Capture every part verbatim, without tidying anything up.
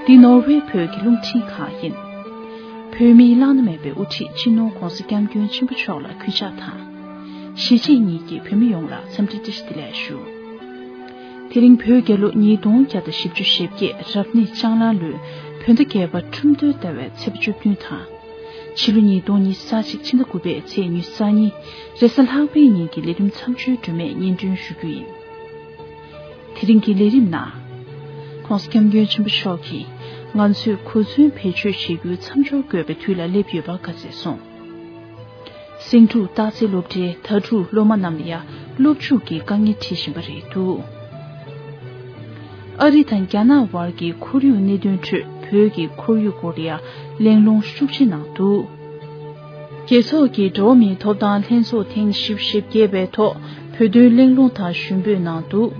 འདི་ནོར་ཝེ་བོད་ཀྱི་རླུང་འཕྲིན་ཁང་ཡིན། བོད་མིའི་བླ་ན་མེད་པའི་དབུ་ཁྲིད་སྤྱི་ནོར་༧གོང་ས་༧སྐྱབས་མགོན་ཆེན་པོ་མཆོག་ལ་གུས་ཕྱག་དང་། གཞིས་བྱེས་གཉིས་ཀྱི་བོད་མི་ཡོངས་ལ་འཚམས་འདྲི་བཀྲ་ཤིས་བདེ་ལེགས་ཞུ། དེ་རིང་བོད་རྒྱལ་ལོ་ཉིས་སྟོང་བརྒྱ་དང་བཞི་བཅུ་ཞེ་བརྒྱད་རབ་གནས་ལྕང་གླང་ལོའི་བོད་ཟླ་བརྒྱད་པ་ཁྲུམས་སྟོན་ཟླ་བའི་ཚེས་པ་བཅུ་བདུན་དང་། ཕྱི་ལོ་ཉིས་སྟོང་ཉི་ཤུ་རྩ་གཅིག་ཕྱི་ཟླ་དགུ་པའི་ཚེས་ཉི་ཤུ་རྩ་གཉིས་རེས་གཟའ་ལྷག་པའི་ཉིན་གྱི་ལས་རིམ་མཚམས་སྦྱོར་སྒྲོན་མེ་སྙན་སྒྲོན་ཞུ་རྒྱུ་ཡིན། དེ་རིང་གི་ལས་རིམ་ནང་། ྋགོང་ས་ྋསྐྱབས་མགོན་ཆེན་པོ་མཆོག་གིས་ང་ཚོས་གོ་མཚོན་བེད་སྤྱོད་བྱེད་རྒྱུའི་མཚམས་སྦྱོར་དགོས་པའི་དུས་ལ་སླེབས་ཡོད་པ་བཀའ་སྩལ་སོང་། སེང་འབྲུག་སྟག་རྩེ་སློབ་གྲྭའི་དྭ་ཕྲུག་སློབ་མ་རྣམས་ལ་ཡང་སློབ་འཇུག་གི་དཀའ་ངལ་འཕྲད་བཞིན་པ་རེད་འདུག་ཨ་རི་དང་རྒྱ་ནག་དབར་གྱི་ཁོར་ཡུག་གནད་དོན་ཁྲོད་བོད་ཀྱི་ཁོར་ཡུག་སྐོར་ལ་ཡང་གླེང་སློང་ཤུགས་ཆེ་གནང་འདུག་རྒྱལ་ཚོགས་ཀྱི་འགྲོ་བ་མིའི་ཐོབ་ཐང་ལྷན་ཚོགས་ཐེངས་བཞི་བཅུ་ཞེ་བརྒྱད་པའི་ཐོག་བོད་དོན་གླེང་སློང་དང་ཞུ་འབོད་གནང་འདུག་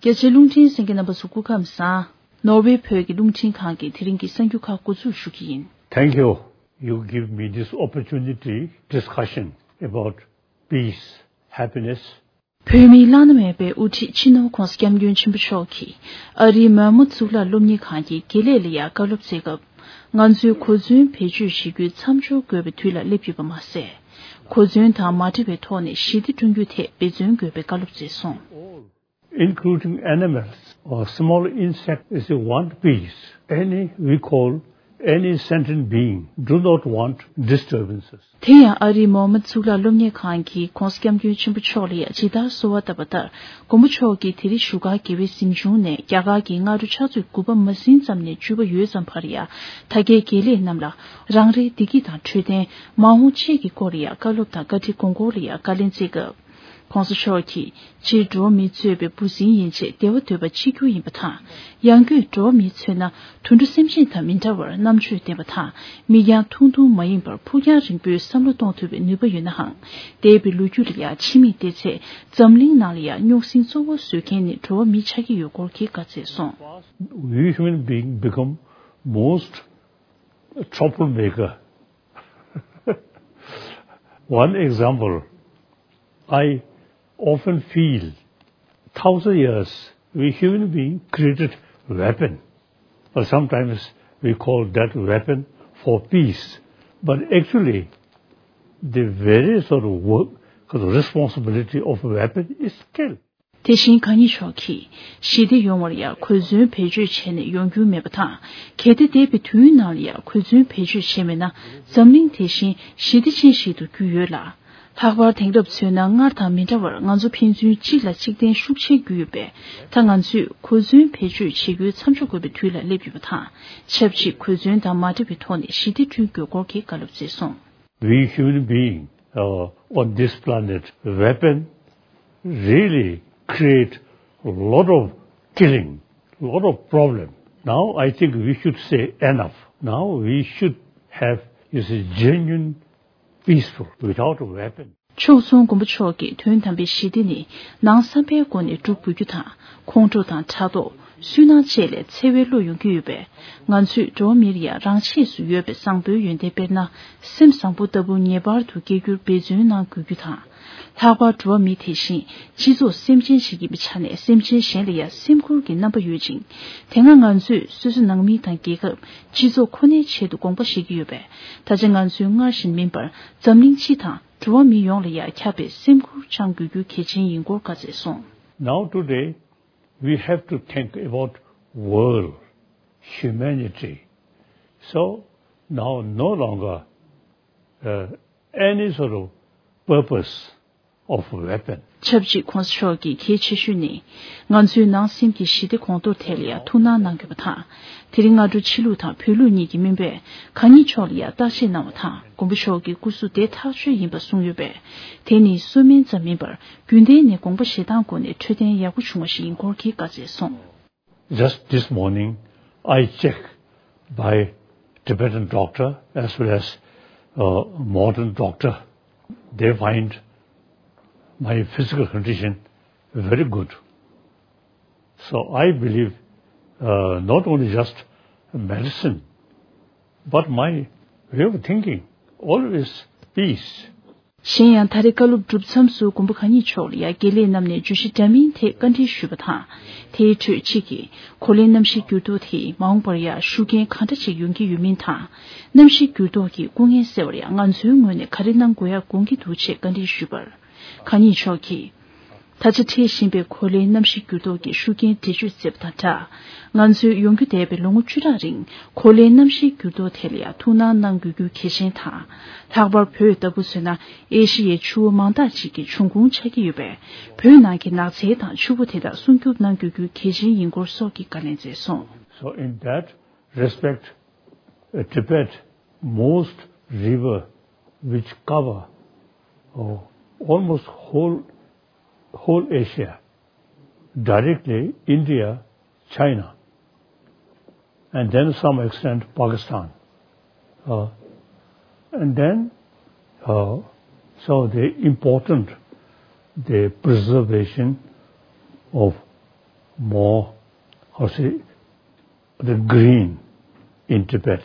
རྒྱ་ཆེའི་རླུང་འཕྲིན་གསན་མཁན་རྣམ་པ་ཚོ་སྐུ་ཁམས་བཟང་། ནོར་ཝེ་བོད་ཀྱི་རླུང་འཕྲིན་ཁང་གི་དེ་རིང་གི་གསར་འགྱུར་ཁག་འགོ་འཛུགས་ཞུ་གི་ཡིན། Thank you. You give me this opportunity, discussion about peace, happiness. བོད་མིའི་བླ་ན་མེད་པའི་དབུ་ཁྲིད་སྤྱི་ནོར་༧གོང་ས་༧སྐྱབས་མགོན་ཆེན་པོ་མཆོག་གིས་ཨ་རིའི་མོན་མོ་གཙུག་ལག་སློབ་གཉེར་ཁང་གི་དགེ་ལས་ལ་ཡང་བཀའ་སློབ་སྩལ་སྐབས། ང་ཚོས་གོ་མཚོན་བེད་སྤྱོད་བྱེད་རྒྱུའི་མཚམས་སྦྱོར་དགོས་པའི་དུས་ལ་སླེབས་ཡོད་པ་མ་ཟད། གོ་མཚོན་དང་མ་བྲལ་བའི་ཐོག་ནས་ཞི་བདེ་བསྐྲུན་རྒྱུའི་ཐད་འབད་བརྩོན་དགོས་པའི་བཀའ་སློབ་སྩལ་སོང་། Including animals or small insect is a one piece. Any, we call any sentient being, do not want disturbances. དེ་ཡང་ཨ་རིའི་མོན་མོ་གཙུག་ལག་སློབ་གཉེར་ཁང་གིས་ྋགོང་ས་ྋསྐྱབས་མགོན་ཆེན་པོ་མཆོག་ལ་ཡང་ཇི་ལྟར་གསོལ་བ་བཏབ་པ་ལྟར། མགོན་པོ་མཆོག་གིས་དེ་རིང་བཞུགས་སྒར་རྒྱལ་བའི་གཟིམ་ཆུང་ནས་རྒྱ་གར་གྱི་སྔ་དྲོ་ཕྱག་ཚོད་དགུ་པ་མ་ཟིན་ཙམ་ནས་བཅུ་པ་ཡོལ་ཙམ་བར་ཡང་། དར་རྒྱས་དགེ་ལས་རྣམས་ལ་རང་རེའི་བདེ་སྐྱིད་དང་འཕྲོད་བསྟེན། མ་འོངས་གཅེས་ཀྱི་སྐོར་ལ་ཡང་བཀའ་སློབ་དང་བཀའ་ཁྲིད་དགོངས་སྐོར་ལ་ཡང་བཀའ་ལན་སྩལ་སྐབས། ྋགོང་ས་མཆོག་གིས་སྤྱིར་འགྲོ་བ་མི་གཙོས་པའི་འབུ་སྲིན་ཡན་ཆད་བདེ་བ་འདོད་པ་གཅིག་གྱུར་ཡིན་པ་དང་། ཡང་སྒོས་འགྲོ་བ་མིས་མཚོན་ན་དུད་འགྲོ་སེམས་ཅན་དང་མི་འདྲ་བར་རྣམ་དཔྱོད་ལྡན་པ་དང་། མིག་རྒྱང་ཐུང་ཐུང་མ་ཡིན་པར་ཕུགས་རྒྱང་རིང་པོའི་བསམ་བློ་གཏོང་ཐུབ་པའི་ནུས་པ་ཡོད་ནའང་། འདས་པའི་ལོ་རྒྱུས་ལ་ཡང་ཕྱི་མིག་བལྟས་ཚེ། འཛམ་གླིང་ནང་ལ་ཡང་རྙོག་ཟིང་གཙོ་བོ་བཟོ་མཁན་ནི་འགྲོ་བ་མི་ཆགས་ཀྱི་ཡོད་སྐོར་གྱི་བཀའ་སྩལ་སོང་། We human being become most troublemaker. One example, I often feel thousand years we human being created weapon, but sometimes we call that weapon for peace. But actually, the very sort of work, responsibility of weapon is kill. དེ་བཞིན་གང་ཉིད་མཆོག་གིས་ཞི་བདེ་ཡོང་བར་ཡང་གོ་མཚོན་བེད་སྤྱོད་བྱས་ནས་ཡོང་རྒྱུ་མེད་པ་དང་། གལ་ཏེ་འདས་པའི་དུས་ནང་ལ་ཡང་གོ་མཚོན་བེད་སྤྱོད་བྱས་མེད་ན་འཛམ་གླིང་དེ་བཞིན་ཞི་བདེ་ཅན་ཞིག་ཏུ་གྱུར་ཡོད་ལ། ལྷག་པར་དེང་རབས་མཚོན་ན་སྔར་དང་མི་འདྲ་བར་ང་ཚོ་ཕན་ཚུན་གཅིག་ལ་གཅིག་བརྟེན་ཤུགས་ཆེར་གྱུར་ཡོད་པས། ད་ང་ཚོས་གོ་མཚོན་བེད་སྤྱོད་བྱེད་རྒྱུའི་མཚམས་འཇོག་དགོས་པའི་དུས་ལ་སླེབས་ཡོད་པ་དང་། ཆབས་ཅིག་གོ་མཚོན་དང་མ་བྲལ་བའི་ཐོག་ནས་ཞི་བདེ་བསྐྲུན་དགོས་སྐོར་གྱི་བཀའ་སློབ་སྩལ་སོང་། We human being, uh, on this planet, weapon really create a lot of killing, lot of problem. Now I think we should say enough. Now we should have, you see, genuine peaceful without a weapon. ཕྱོགས་མཚུངས་མགོན་པོ་མཆོག་གིས་དོན་དམ་པའི་ཞི་བདེ་ནི་ནང་བསམ་པའི་སྒོ་ནས་སྒྲུབ་དགོས་རྒྱུ་དང་། ཁོང་ཁྲོ་དང་ཕྲག་དོག་སུན་སྣང་བཅས་ལས་འཚེ་བའི་བློ་ཡོང་གི་ཡོད་པས། ང་ཚོས་འགྲོ་བ་མིར་ཡང་རང་ཆས་སུ་ཡོད་པའི་བཟང་པོའི་ཡོན་ཏན་དཔེར་ན། སེམས་བཟང་པོ་ལྟ་བུ་ངེས་པར་དུ་སྐྱེ་རྒྱུར་འབད་བརྩོན་གནང་དགོས་རྒྱུ་དང་། ལྷག་པར་འགྲོ་བ་མི་དེ་བཞིན་སྤྱི་ཚོགས་སེམས་ཅན་ཞིག་ཡིན་པའི་ཆ་ནས་སེམས་ཅན་གཞན་ལ་ཡང་སེམས་ཁུར་གྱི་རྣམ་པ་ཡོད་ཅིང་། དེ་སྔ་ང་ཚོས་སོ་སོའི་ནང་མི་དང་རྒྱལ་ཁབ་སྤྱི་ཚོགས་ཁོ་ནའི་ཆེད་དུ་དགོངས་པ་བཞེས་ཀྱི་ཡོད་པས། ད་ཆ་ང་ཚོས་སྔར་བཞིན་མིན་པར་འཛམ་གླིང་སྤྱི་དང་འགྲོ་བ་མི་ཡོངས་ལ་ཡང་ཁྱབ་པའི་སེམས་ཁུར་བཅངས་དགོས་རྒྱུ་གལ་ཆེན་ཡིན་སྐོར་བཀའ་སྩལ་སོང་། Now today, we have to think about world, humanity. So now no longer, uh, any sort of purpose of weapon. ཆབས་ཅིག་ྋགོང་ས་མཆོག་གིས་གལ་ཆེ་ཤོས་ནི། ང་ཚོའི་ནང་སེམས་ཀྱི་ཞི་བདེ་གོང་མཐོར་ཐད་ལ་ཡང་ཐུགས་སྣང་གནང་དགོས་པ་དང་། དེ་རིང་སྔ་དྲོ་ཕྱི་ལུགས་དང་བོད་ལུགས་གཉིས་ཀྱི་སྨན་པས་གང་ཉིད་མཆོག་ལ་ཡང་བརྟག་དཔྱད་གནང་བ་དང་། མགོན་པོ་མཆོག་གི་སྐུ་གཟུགས་བདེ་ཐག་ཆོད་ཡིན་པ་གསུངས་ཡོད་པས། དེ་ནི་གསོ་སྨན་ཙམ་མིན་པར་རྒྱུན་ལྡན་ནས་དགོངས་པ་བཞེས་སྟངས་སྒོ་ནས་འཕྲོད་བསྟེན་ཡག་པོ་བྱུང་བ་ཞིག་ཡིན་སྐོར་གྱི་བཀའ་སྩལ་སོང་། Just this morning, I checked by Tibetan doctor as well as, uh, modern doctor. They find my physical condition very good. So I believe, uh, not only just medicine, but my way of thinking, always peace. གཞན་ཡང་ད་རེས་བཀའ་སློབ་གྲུབ་མཚམས་སུ་མགོན་པོ་གང་ཉིད་མཆོག་ལ་ཡང་དགེ་ལས་རྣམས་ནས་བརྗོད་གཞི་འདྲ་མིན་ཐད་བཀའ་འདྲི་ཞུས་པ་དང་། དེའི་ཁྲོད་གཅིག་གིས་གོ་ལའི་གནམ་གཤིས་འགྱུར་ལྡོག་དེས་མ་འོངས་པར་ཡང་ཤུགས་རྐྱེན་གང་འདྲ་ཞིག་ཡོང་གི་ཡོད་མིན་དང་། གནམ་གཤིས་འགྱུར་ལྡོག་གི་སྐུ་ངལ་སེལ་བར་ཡང་ང་ཚོའི་ངོས་ནས་ག་རེ་གནང་དགོས་ཡ་དགོངས་ཀྱི་འདུག་ཅེས་བཀའ་འདྲི་ཞུས་པར། གང་ཉིད་མཆོག་གིས། ད་ཆ་འཕྲད་བཞིན་པའི་གོ་ལའི་གནམ་གཤིས་འགྱུར་ལྡོག་གི་ཤུགས་རྐྱེན་འགྲེལ་བརྗོད་མཛད་པ་དང་སྦྲགས། ང་ཚོས་ཡོང་རྒྱུ་བསྡད་པའི་ལོ་ངོ་བཅུ་ཕྲག་རིང་གོ་ལའི་གནམ་གཤིས་འགྱུར་ལྡོག་ཐད་ལ་ཡང་ཐུགས་སྣང་གནང་དགོས་རྒྱུ་གལ་ཆེན་དང་། ལྷག་པར་བོད་ལྟ་བུ་བཟོས་ན་ཨེ་ཤི་ཡའི་ཆུ་བོ་མང་དག་ཅིག་གི་འབྱུང་ཁུངས་ཆགས་ཀྱི་ཡོད་པས། བོད་ནང་གི་ནགས་ཚལ་དང་ཆུ་བོ་དེ་དག་སྲུང་སྐྱོབ་གནང་དགོས་རྒྱུ་གལ་ཆེན་ཡིན་སྐོར་སོགས་ཀྱི་བཀའ་ལན་སྩལ་སོང་། So in that respect, uh, Tibet, most river which cover, oh, almost whole, whole Asia, directly India, China, and then some extent Pakistan. Uh, and then, uh, so the important, the preservation of more, how say, the green in Tibet.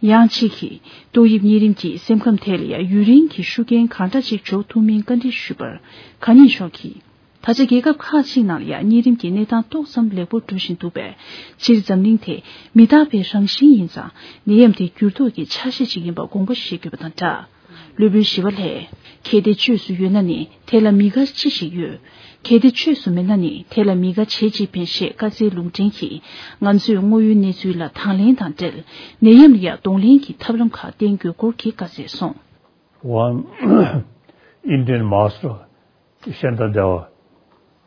ཡང་གཅིག་གིས་ཏོག་དབྱིབས་གཉན་རིམས་ཀྱིས་སེམས་ཁམས་ཐད་ལ་ཡང་ཡུན་རིང་གི་ཤུགས་རྐྱེན་གང་འདྲ་ཅིག་འཇོག་ཐུབ་མིན་བཀའ་འདྲི་ཞུས་པར། གང་ཉིད་མཆོག་གིས། ད་ཆ་རྒྱལ་ཁབ་ཁག་ཅིག་ནང་ལ་ཡང་གཉན་རིམས་ཀྱི་གནས་སྟངས་ཏོག་ཙམ་ལེགས་པོར་འགྲོ་བཞིན་འདུག་པས། སྤྱིར་འཛམ་གླིང་དེ་མི་རྟག་པའི་རང་བཞིན་ཡིན་ཙང་། ནད་ཡམས་དེ་འགྱུར་ལྡོག་གི་ཆ་ཤས་ཤིག་ཡིན་པ་དགོངས་པ་བཞེས་དགོས་པ་དང་སྦྲགས། སློབ་དཔོན་ཞི་བ་ལྷས། གལ་ཏེ་བཅོས་སུ་ཡོད་ན་ནི་དེ་ལ་མི་དགའ་ཅི་ཞིག་ཡོད། གལ་ཏེ་བཅོས་སུ་མེད་ན་ནི་དེ་ལ་མི་དགའ་བྱེད་ཅིག་ཕན་ཞེས་བཀའ་སྩལ་ལུང་འདྲེན་གྱིས། ང་ཚོས་དངོས་ཡོད་གནས་ཚུལ་ལ་དང་ལེན་དང་འབྲེལ། ནད་ཡམས་ལ་ཡང་གདོང་ལེན་གྱི་ཐབས་ལམ་ཁག་བསྟེན་དགོས་སྐོར་གྱི་བཀའ་སྩལ་སོང་། One Indian master, Shanti Deva,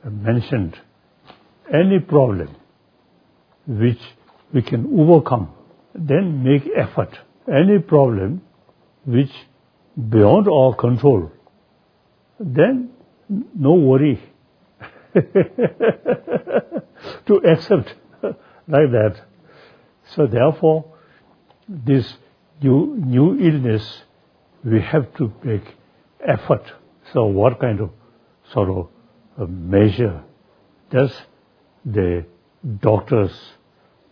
mentioned, any problem which we can overcome, then make effort. Any problem which beyond our control, then no worry to accept like that. So therefore, this new, new illness, we have to make effort. So what kind of sort of a measure does the doctors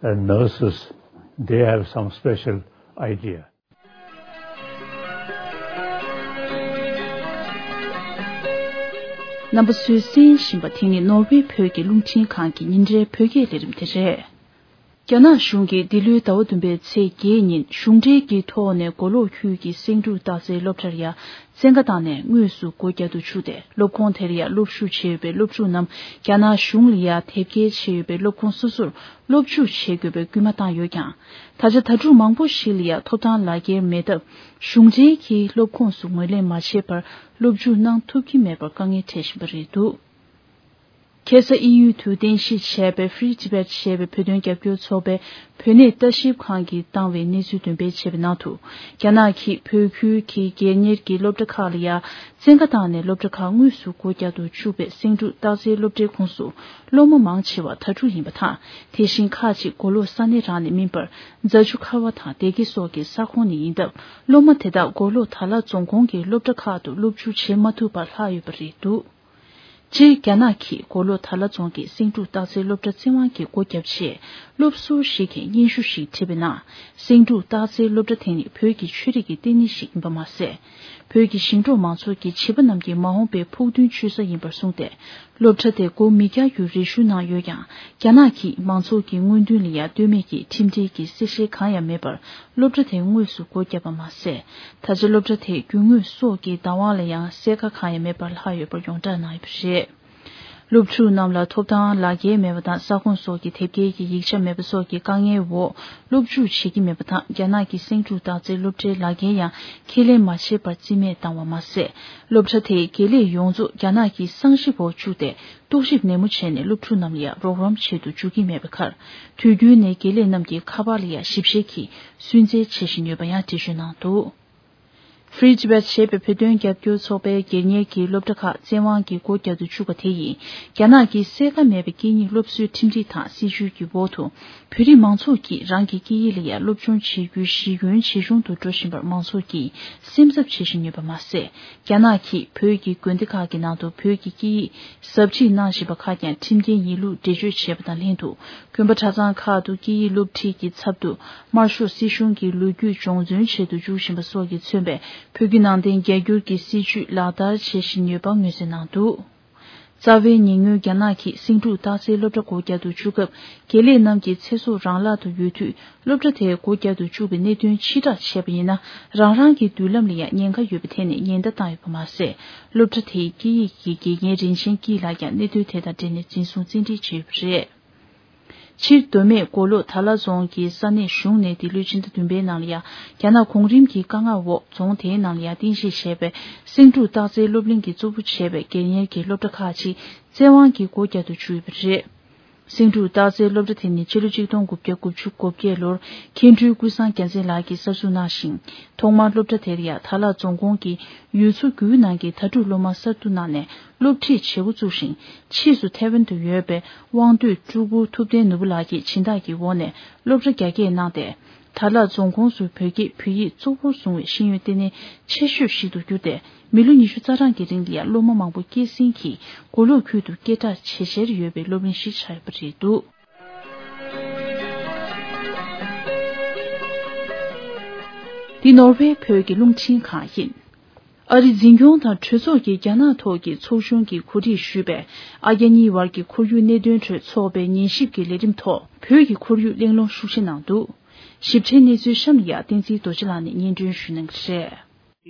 and nurses, they have some special idea. རྣམ་པ་ཚོས་གསན་བཞིན་པ་དེ་ནི་ནོར་ཝེ་བོད་ཀྱི་རླུང་འཕྲིན་ཁང་གི་ཉིན་རེའི་བོད་སྐད་ལས་རིམ་དེ་རེད། རྒྱ་ནག་གཞུང་གིས་འདི་ལོའི་ཟླ་བ་བདུན་པའི་ཚེས་བརྒྱད་ཉིན་གཞུང་འབྲེལ་གྱི་ཐོག་ནས་མགོ་ལོག་ཁུལ་གྱི་སེང་འབྲུག་སྟག་རྩེའི་སློབ་གྲྭར་ཡ། བཙན་བཀའ་བཏང་ནས་དངོས་སུ་སྒོ་བརྒྱབ་ཏུ་བཅུག་སྟེ། སློབ་ཁོངས་དེར་ཡང་སློབ་ཞུགས་བྱས་ཡོད་པའི་སློབ་ཕྲུག་རྣམས་རྒྱ་ནག་གཞུང་ལ་ཡང་དེབ་སྐྱེལ་བྱས་ཡོད་པའི་སློབ་ཁོངས་སོ་སོར་སློབ་འཇུག་བྱེད་དགོས་པའི་སྐུལ་མ་བཏང་ཡོད་ཀྱང་། ད་ཆ་དྭ་ཕྲུག་མང་པོ་ཞིག་ལ་ཡང་ཐོབ་ཐང་ལག་འཁྱེར་མེད་སྟབས། གཞུང་འབྲེལ་གྱི་སློབ་ཁོངས་སུ་ངོས་ལེན་མ་བྱས་པར་སློབ་འཇུག་གནང་ཐུབ་ཀྱི་མེད་པར་དཀའ་ངལ་འཕྲད་བཞིན་པ་རེད་འདུག་ཁ་སང་དབྱིན་ཡུལ་དུ་རྟེན་གཞི་བྱས་པའི་Free Tibet ཞེས་པའི་བོད་དོན་རྒྱབ་སྐྱོར་ཚོགས་པའི་བོད་གནས་ལྟ་ཞིབ་ཁང་གིས་བཏང་བའི་གནས་ཚུལ་འདོན་སྤེལ་བྱས་པའི་ནང་དུ། རྒྱ་ནག་གིས་བོད་ཁུལ་གྱི་སྒེར་གཉེར་གྱི་སློབ་གྲྭ་ཁག་ལ་ཡང་བཙན་བཀའ་བཏང་ནས་སློབ་གྲྭ་ཁག་དངོས་སུ་སྒོ་བརྒྱབ་ཏུ་བཅུག་པའི་སེང་འབྲུག་སྟག་རྩེའི་སློབ་གྲྭའི་ཁོངས་སུ་སློབ་མ་མང་ཆེ་བ་དྭ་ཕྲུག་ཡིན་པ་དང་། དེ་བཞིན་ཁག་ཅིག་མགོ་ལོག་ས་གནས་རང་ནས་མིན་པར། རྫ་ཆུ་ཁ་བ་དང་སྡེ་དགེ་སོགས་ཀྱི་ས་ཁོངས་ནས་ཡིན་སྟབས། སློབ་མ་དེ་དག་མགོ་ལོག་དྭགས་ལྷ་རྫོང་ཁོངས་ཀྱི་སློབ་གྲྭ་ཁག་ཏུ་སློབ་འཇུག་བྱེད་མ་ཐུབ་པར་ལྷག་ཡོད་པ་རེད་འདུག་སྤྱིར་རྒྱ་ནག་གིས་མགོ་ལོག་དྭགས་ལྷ་རྫོང་གི་སེང་འབྲུག་སྟག་རྩེའི་སློབ་གྲྭ་བཙན་དབང་གིས་སྒོ་བརྒྱབ་རྗེས། སློབ་ཟུར་ཞིག་གིས་སྙན་ཞུ་ཞིག་བྲིས་པའི་ནང་། སེང་འབྲུག་སྟག་རྩེའི་སློབ་གྲྭ་དེ་ནི་བོད་ཀྱི་ཆོས་རིག་གི་ལྟེ་གནས་ཤིག་ཡིན་པ་མ་ཟད། བོད་ཀྱི་ཞིང་འབྲོག་མང་ཚོགས་ཀྱི་བྱིས་པ་རྣམས་ཀྱི་མ་འོངས་པའི་ཕུགས་འདུན་གཅོད་ས་ཡིན་པར་གསུངས་ཏེ། སློབ་གྲྭ་དེ་སྒོ་མི་རྒྱག་རྒྱུའི་རེ་ཞུ་གནང་ཡོད་ཀྱང་། རྒྱ་ནག་གིས་མང་ཚོགས་ཀྱི་དངོས་འདུན་ལ་ཡང་ལྟོས་མེད་ཀྱིས་ཁྲིམས་འགལ་གྱི་གསལ་བཤད་གང་ཡང་མེད་པར། སློབ་གྲྭ་དེ་དངོས་སུ་སྒོ་བརྒྱབ་པ་མ་ཟད། ད་ཆ་སློབ་གྲྭ་དེའི་རྒྱུ་དངོས་སོགས་ཀྱི་བདག་དབང་ལ་ཡང་གསལ་ཁ་གང་ཡང་མེད་པར་ལྷག་ཡོད་པར་ཡོངས་བསྒྲགས་གནང་ཡོད་པ་རེད། སློབ་ཕྲུག་རྣམས་ལ་ཐོབ་ཐང་ལག་འཁྱེར་མེད་པ་དང་། ས་ཁོངས་སོགས་ཀྱི་དེབ་སྐྱེལ་གྱི་ཡིག་ཆ་མེད་པ་སོགས་ཀྱི་དཀའ་ངལ་འོག་སློབ་འཇུག་བྱེད་ཀྱི་མེད་པ་དང་། རྒྱ་ནག་གི་སེང་འབྲུག་སྟག་རྩེའི་སློབ་གྲྭའི་ལག་འཁྱེར་ཡང་ཁས་ལེན་མ་བྱས་པར་རྩིས་མེད་བཏང་བ་མ་ཟད། སློབ་གྲྭ་དེས་དགེ་ལས་ཡོངས་རྫོགས་རྒྱ་ནག་གི་གསང་ཞིབ་འོག་བཅུག་སྟེ། རྟོག་ཞིབ་ནན་མོ་བྱས་ནས་སློབ་ཕྲུག་རྣམས་ལ་ཡང་རོགས་རམ་བྱེད་དུ་འཇུག་གི་མེད་པའི་ཁར། དུས་རྒྱུན་ནས་དགེ་ལས་རྣམས་ཀྱི་ཁ་པར་ལ་ཡང་ཞིབ་བཤེར་གྱིས་སུན་གཙེར་བྱེད་བཞིན་ཡོད་པ་ཡང་འགྲེལ་བརྗོད་གནང་འདུག Free Tibet ཞེས་པའི་བོད་དོན་རྒྱབ་སྐྱོར་ཚོགས་པའི་སྒེར་གཉེར་གྱི་སློབ་གྲྭ་ཁག་བཙན་དབང་གིས་སྒོ་བརྒྱབ་ཏུ་བཅུག་པ་དེ་ཡིས། རྒྱ་ནག་གི་གསལ་ཁ་མེད་པའི་སྐད་གཉིས་སློབ་གསོའི་ཁྲིམས་སྒྲིག་དང་སྲིད་བྱུས་ཀྱི་འོག་ཏུ། བོད་རིགས་མང་ཚོགས་ཀྱིས་རང་གི་སྐད་ཡིག་ལ་ཡང་སློབ་སྦྱོང་བྱེད་རྒྱུའི་གཞི་ཁྱོན་ཇེ་ཆུང་དུ་འགྲོ་བཞིན་པར་མང་ཚོགས་ཀྱིས་སེམས་འཚབ་བྱེད་བཞིན་ཡོད་པ་མ་ཟད། རྒྱ་ནག་གིས་བོད་ཀྱི་དགོན་སྡེ་ཁག་གི་ནང་དུ་བོད་ཀྱི་སྐད་ཡིག་ཟབ་ཁྲིད་གནང་བཞིན་པ་ཁག་ཀྱང་ཁྲིམས་འགལ་ཡིན་ལུགས་འགྲེལ་བརྗོད་བྱས་པ་དང་ལྷན་དུ། དགོན་པ་གྲྭ་ཚང་ཁག་ཏུ་སྐད་ཡིག་སློབ་ཁྲིད་ཀྱི་ཚབ་ཏུ་དམར་ཤོག་སྲིད་གཞུང་གི་ལོ་རྒྱུས་སྦྱོང་བརྩོན་ཆེད་དུ་བཅུག་བཞིན་པ་སོགས་ཀྱིས་མཚོན་པའི་བོད་ཀྱི་ནང་བསྟན་རྒྱ་སྒྱུར་གྱི་སྲིད་བྱུས་ལག་བསྟར་བྱེད་བཞིན་ཡོད་པ་མངོན་གསལ་གནང་འདུག། རྩ་བའི་ཉེ་སྔོན་རྒྱ་ནག་གིས་སེང་འབྲུག་སྟག་རྩེའི་སློབ་གྲྭ་སྒོ་བརྒྱབ་ཏུ་བཅུག་སྐབས། དགེ་ལས་རྣམས་ཀྱི་ཚེ་སྲོག་རང་བརླག་ཏུ་ཡོད་དུས། སློབ་གྲྭ་དེ་སྒོ་བརྒྱབ་ཏུ་བཅུག་པའི་གནད་དོན་ཕྱིར་བསྒྲགས་བྱས་པ་ཡིན་ན། རང་རང་གི་མདུན་ལམ་ལ་ཡང་ཉེན་ཁ་ཡོད་པའི་ཐད་ནས་ཉེན་བརྡ་བཏང་ཡོད་པ་མ་ཟད། སློབ་གྲྭ་དེའི་སྐད་ཡིག་གི་དགེ་རྒན་རིན་ཆེན་སྐྱིད་ལགས་ཀྱང་གནད་དོན་དེ་དང་འབྲེལ་ནས་འཛིན་བཟུང་བཙན་ཁྲིད་བྱས་ཡོད་པ་རེད། ཕྱིར་མདོ་སྨད་མགོ་ལོག་དར་ལ་རྫོང་གི་ས་གནས་གཞུང་ནས་འདི་ལོའི་ཕྱི་ཟླ་བདུན་པའི་ནང་ལ་ཡང་རྒྱ་ནག་གོང་རིམ་གྱི་བཀའ་མངགས་འོག་རྫོང་དེའི་ནང་ལ་ཡང་རྟེན་གཞི་བྱས་པའི་སེང་འབྲུག་སྟག་རྩེའི་སློབ་གླིང་གིས་གཙོ་བོ་བྱས་པའི་སྒེར་གཉེར་གྱི་སློབ་གྲྭ་ཁག་ཅིག་བཙན་དབང་གིས་སྒོ་བརྒྱབ་ཏུ་བཅུག་ཡོད་པ་རེད། སེང་འབྲུག་སྟག་རྩེའི་སློབ་གྲྭ་དེ་ནི་ཕྱི་ལོ་ཆིག་སྟོང་དགུ་བརྒྱ་དགུ་བཅུ་གོ་བརྒྱད་ལོར་མཁན་སྤྲུལ་ཀུན་བཟང་རྒྱལ་མཚན་ལགས་ཀྱིས་གསར་འཛུགས་གནང་ཞིང་། ཐོག་མར་སློབ་གྲྭ་དེར་ཡང་དར་ལག་རྫོང་ཁོངས་ཀྱི་ཡུལ་ཚོ་དགུའི་ནང་གི་དྭ་ཕྲུག་སློབ་མ་གསར་དུ་གནང་ནས་སློབ་ཁྲིད་བྱེད་འགོ་བཙུགས་ཤིང་། ཕྱིས་སུ་ཐའེ་ཝན་དུ་ཡོད་པའི་དབང་འདུས་སྤྲུལ་སྐུ་ཐུབ་བསྟན་ནོར་བུ་ལགས་ཀྱིས་སྦྱིན་བདག་གི་འོག་ནས་སློབ་གྲྭ་རྒྱ་སྐྱེད་གནང་སྟེ། དར་ལག་རྫོང་ཁོངས་སུ་བོད་སྐད་བོད་ཡིག་གཙོ་བོར་བཟུང་བའི་ཤེས་ཡོན་ལྟེ་གནས་ཆེ་ཤོས་ཤིག་ཏུ་གྱུར་ཏེ། མི་ལོ་ཉི་ཤུ་རྩ་གྲངས་ཀྱི་རིང་ལ་ཡང་སློབ་མ་མང་པོ་སྐྱེད་སྲིང་གིས་མགོ་ལོག་ཁུལ་དུ་སྐད་གྲགས་ཇེ་ཆེར་ཡོད་པའི་སློབ་གླིང་ཞིག་ཆགས་ཡོད་པ་རེད་འདུག། འདི་ནོར་ཝེ་བོད་ཀྱི་རླུང་འཕྲིན་ཁང་ཡིན། ཨ་རིའི་འཛིན་སྐྱོང་དང་གྲོས་ཚོགས་ཀྱིས་རྒྱ་ནག་ཐོག་གི་ཚོགས་ཆུང་གིས་གོ་སྒྲིག་ཞུས་པའི་ཨ་རྒྱ་གཉིས་བར་གྱི་ཁོར་ཡུག་གནད་དོན་ཁྲོད་ཚོགས་པའི་ཉན་ཞིབ་ཀྱི་ལས་རིམ་ཐོག་བོད་ཀྱི་ཁོར་ཡུག་གླེང་སློང་ཤུགས་ཆེ་གནང་འདུག། ཞིབ་ཕྲའི་གནས་ཚུལ་གཤམ་ལ་ཡང་བསྟན་འཛིན་རྡོ་རྗེ་ལགས་ནས་སྙན་སྒྲོན་ཞུ་གནང་གི་རེད།